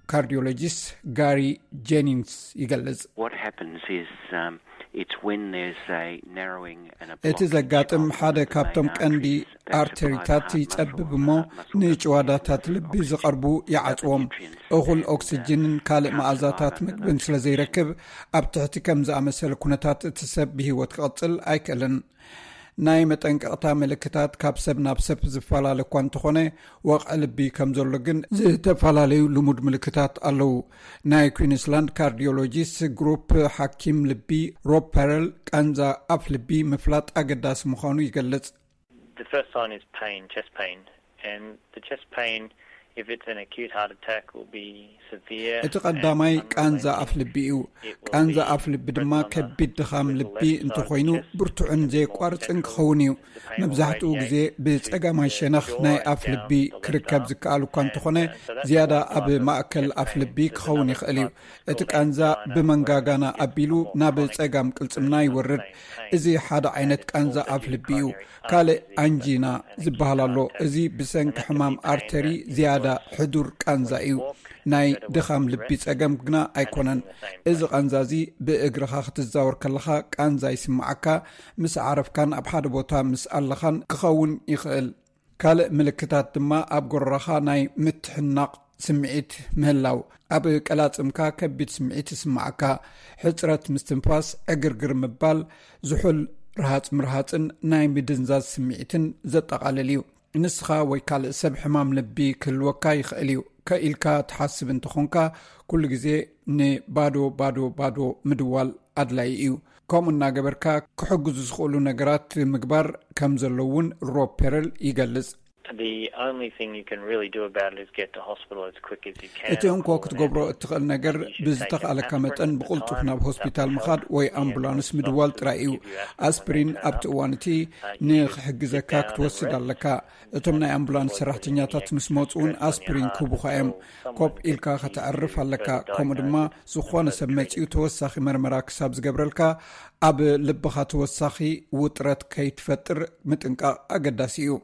ካርዲዮሎጂስት ጋሪ ጄኒንግስ ይገልጽ። What happens is, um, it's when there's a narrowing and a እቲ ዘጋጥም ሓደ ካብቶም ቀንዲ ኣርተሪታት ይጸብብ እሞ ንጭዋዳታት ልቢ ዝቐርቡ ይዓጽዎም። እኹል ኦክስጅንን ካልእ መኣዛታት ምግብን ስለ ዘይረክብ ኣብ ትሕቲ ከም ዝኣመሰለ ኩነታት እቲ ሰብ ብህይወት ክቕጽል ኣይክእልን። ናይ መጠንቀቕታ ምልክታት ካብ ሰብ ናብ ሰብ ዝፈላለ እኳ እንተኾነ፣ ወቕዒ ልቢ ከም ዘሎ ግን ዝተፈላለዩ ልሙድ ምልክታት ኣለዉ። ናይ ኩዊንስላንድ ካርዲዮሎጂስት ግሩፕ ሓኪም ልቢ ሮብ ፐረል፣ ቃንዛ ኣፍ ልቢ ምፍላጥ ኣገዳሲ ምዃኑ ይገልጽ። The first sign is pain, chest pain, and the chest pain, if it's an acute heart attack, will be severe. እቲ ቀዳማይ ቃንዛ ኣፍ ልቢ እዩ። ቃንዛ ኣፍ ልቢ ድማ ከቢድ ድኻም ልቢ እንተኾይኑ ብርቱዕን ዘየቋርጽን ክኸውን እዩ። መብዛሕትኡ ግዜ ብጸጋማይ ሸነኽ ናይ ኣፍ ልቢ ክርከብ ዝከኣል እኳ እንተኾነ፣ ዝያዳ ኣብ ማእከል ኣፍ ልቢ ክኸውን ይኽእል እዩ። እቲ ቃንዛ ብመንጋጋና ኣቢሉ ናብ ጸጋም ቅልጽምና ይወርድ። እዚ ሓደ ዓይነት ቃንዛ ኣፍ ልቢ እዩ። ካልእ ኣንጂና ዝበሃል ኣሎ። እዚ ብሰንኪ ሕማም ኣርተሪ ዝያዳ ሕዱር ቃንዛ እዩ። ናይ ድኻም ልቢ ጸገም ግና ኣይኮነን። እዚ ቃንዛ እዚ ብእግርኻ ክትዛወር ከለኻ ቃንዛ ይስምዓካ፣ ምስ ዓረፍካን ኣብ ሓደ ቦታ ምስ ኣለኻን ክኸውን ይኽእል። ካልእ ምልክታት ድማ ኣብ ጎረራኻ ናይ ምትሕናቕ ስምዒት ምህላው፣ ኣብ ቀላጽምካ ከቢድ ስምዒት ይስምዓካ፣ ሕጽረት ምስትንፋስ፣ ዕግርግር ምባል፣ ዝሑል ርሃጽ ምርሃጽን ናይ ምድንዛዝ ስምዒትን ዘጠቓልል እዩ። ንስኻ ወይ ካልእ ሰብ ሕማም ልቢ ክህልወካ ይኽእል እዩ። ከኢልካ ትሓስብ እንተኾንካ፣ ኩሉ ግዜ ንባዶ ባዶ ባዶ ምድዋል ኣድላዪ እዩ። ከምኡ እናገበርካ ክሕግዙ ዝኽእሉ ነገራት ምግባር ከም ዘሎ እውን ሮብ ፔረል ይገልጽ። The only thing you can really do about it is get to hospital as quick as you can. እቲ እንኮ ክትገብሮ እትኽእል ነገር ብዝተኽኣለካ መጠን ብቕልጡፍ ናብ ሆስፒታል ምኻድ ወይ ኣምቡላንስ ምድዋል ጥራይ እዩ። ኣስፕሪን ኣብቲ እዋን እቲ ንኽሕግዘካ ክትወስድ ኣለካ። እቶም ናይ ኣምቡላንስ ሰራሕተኛታት ምስ መፁ እውን ኣስፕሪን ክህቡኻ እዮም። ኮፕ ኢልካ ከተዕርፍ ኣለካ። ከምኡ ድማ ዝኾነ ሰብ መፂኡ ተወሳኺ መርመራ ክሳብ ዝገብረልካ ኣብ ልብኻ ተወሳኺ ውጥረት ከይትፈጥር ምጥንቃቕ ኣገዳሲ እዩ።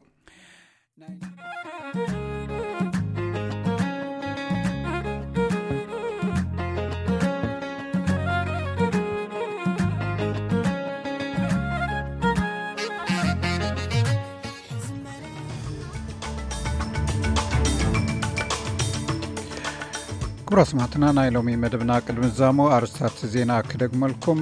ክቡራ ስማዕትና፣ ናይ ሎሚ መደብና ቅድሚ ዛሞ ኣርስታት ዜና ክደግመልኩም።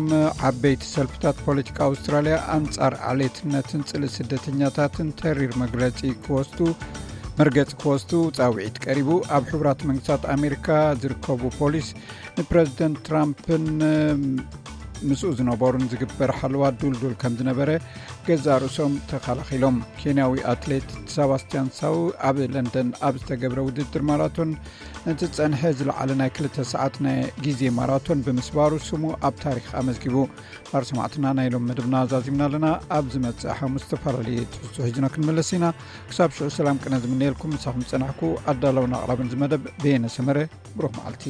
ዓበይቲ ሰልፍታት ፖለቲካ ኣውስትራልያ ኣንጻር ዓሌትነትን ጽልኢ ስደተኛታትን ተሪር መግለጺ ክወስዱ መርገጺ ክወስዱ ጻውዒት ቀሪቡ። ኣብ ሕቡራት መንግስታት ኣሜሪካ ዝርከቡ ፖሊስ ንፕረዚደንት ትራምፕን ምስኡ ዝነበሩን ዝግበር ሓለዋ ዱልዱል ከም ዝነበረ ገዛ ርእሶም ተኸላኺሎም። ኬንያዊ ኣትሌት ሰባስቲያን ሳው ኣብ ለንደን ኣብ ዝተገብረ ውድድር ማራቶን ነቲ ዝጸንሐ ዝለዓለ ናይ ክልተ ሰዓት ናይ ግዜ ማራቶን ብምስባሩ ስሙ ኣብ ታሪኽ ኣመዝጊቡ። ባር ሰማዕትና ናይ ሎም መደብና ዛዚምና ኣለና። ኣብ ዝመጽእ ሓሙስ ዝተፈላለዩ ትሕዝቶ ሒዝና ክንመለስ ኢና። ክሳብ ሽዑ ሰላም ቅነ ዝምነየልኩም። ምሳኹም ዝጸናሕኩ ኣዳለውን ኣቕራብን ዝመደብ በየነ ሰመረ። ብሩኽ መዓልቲ።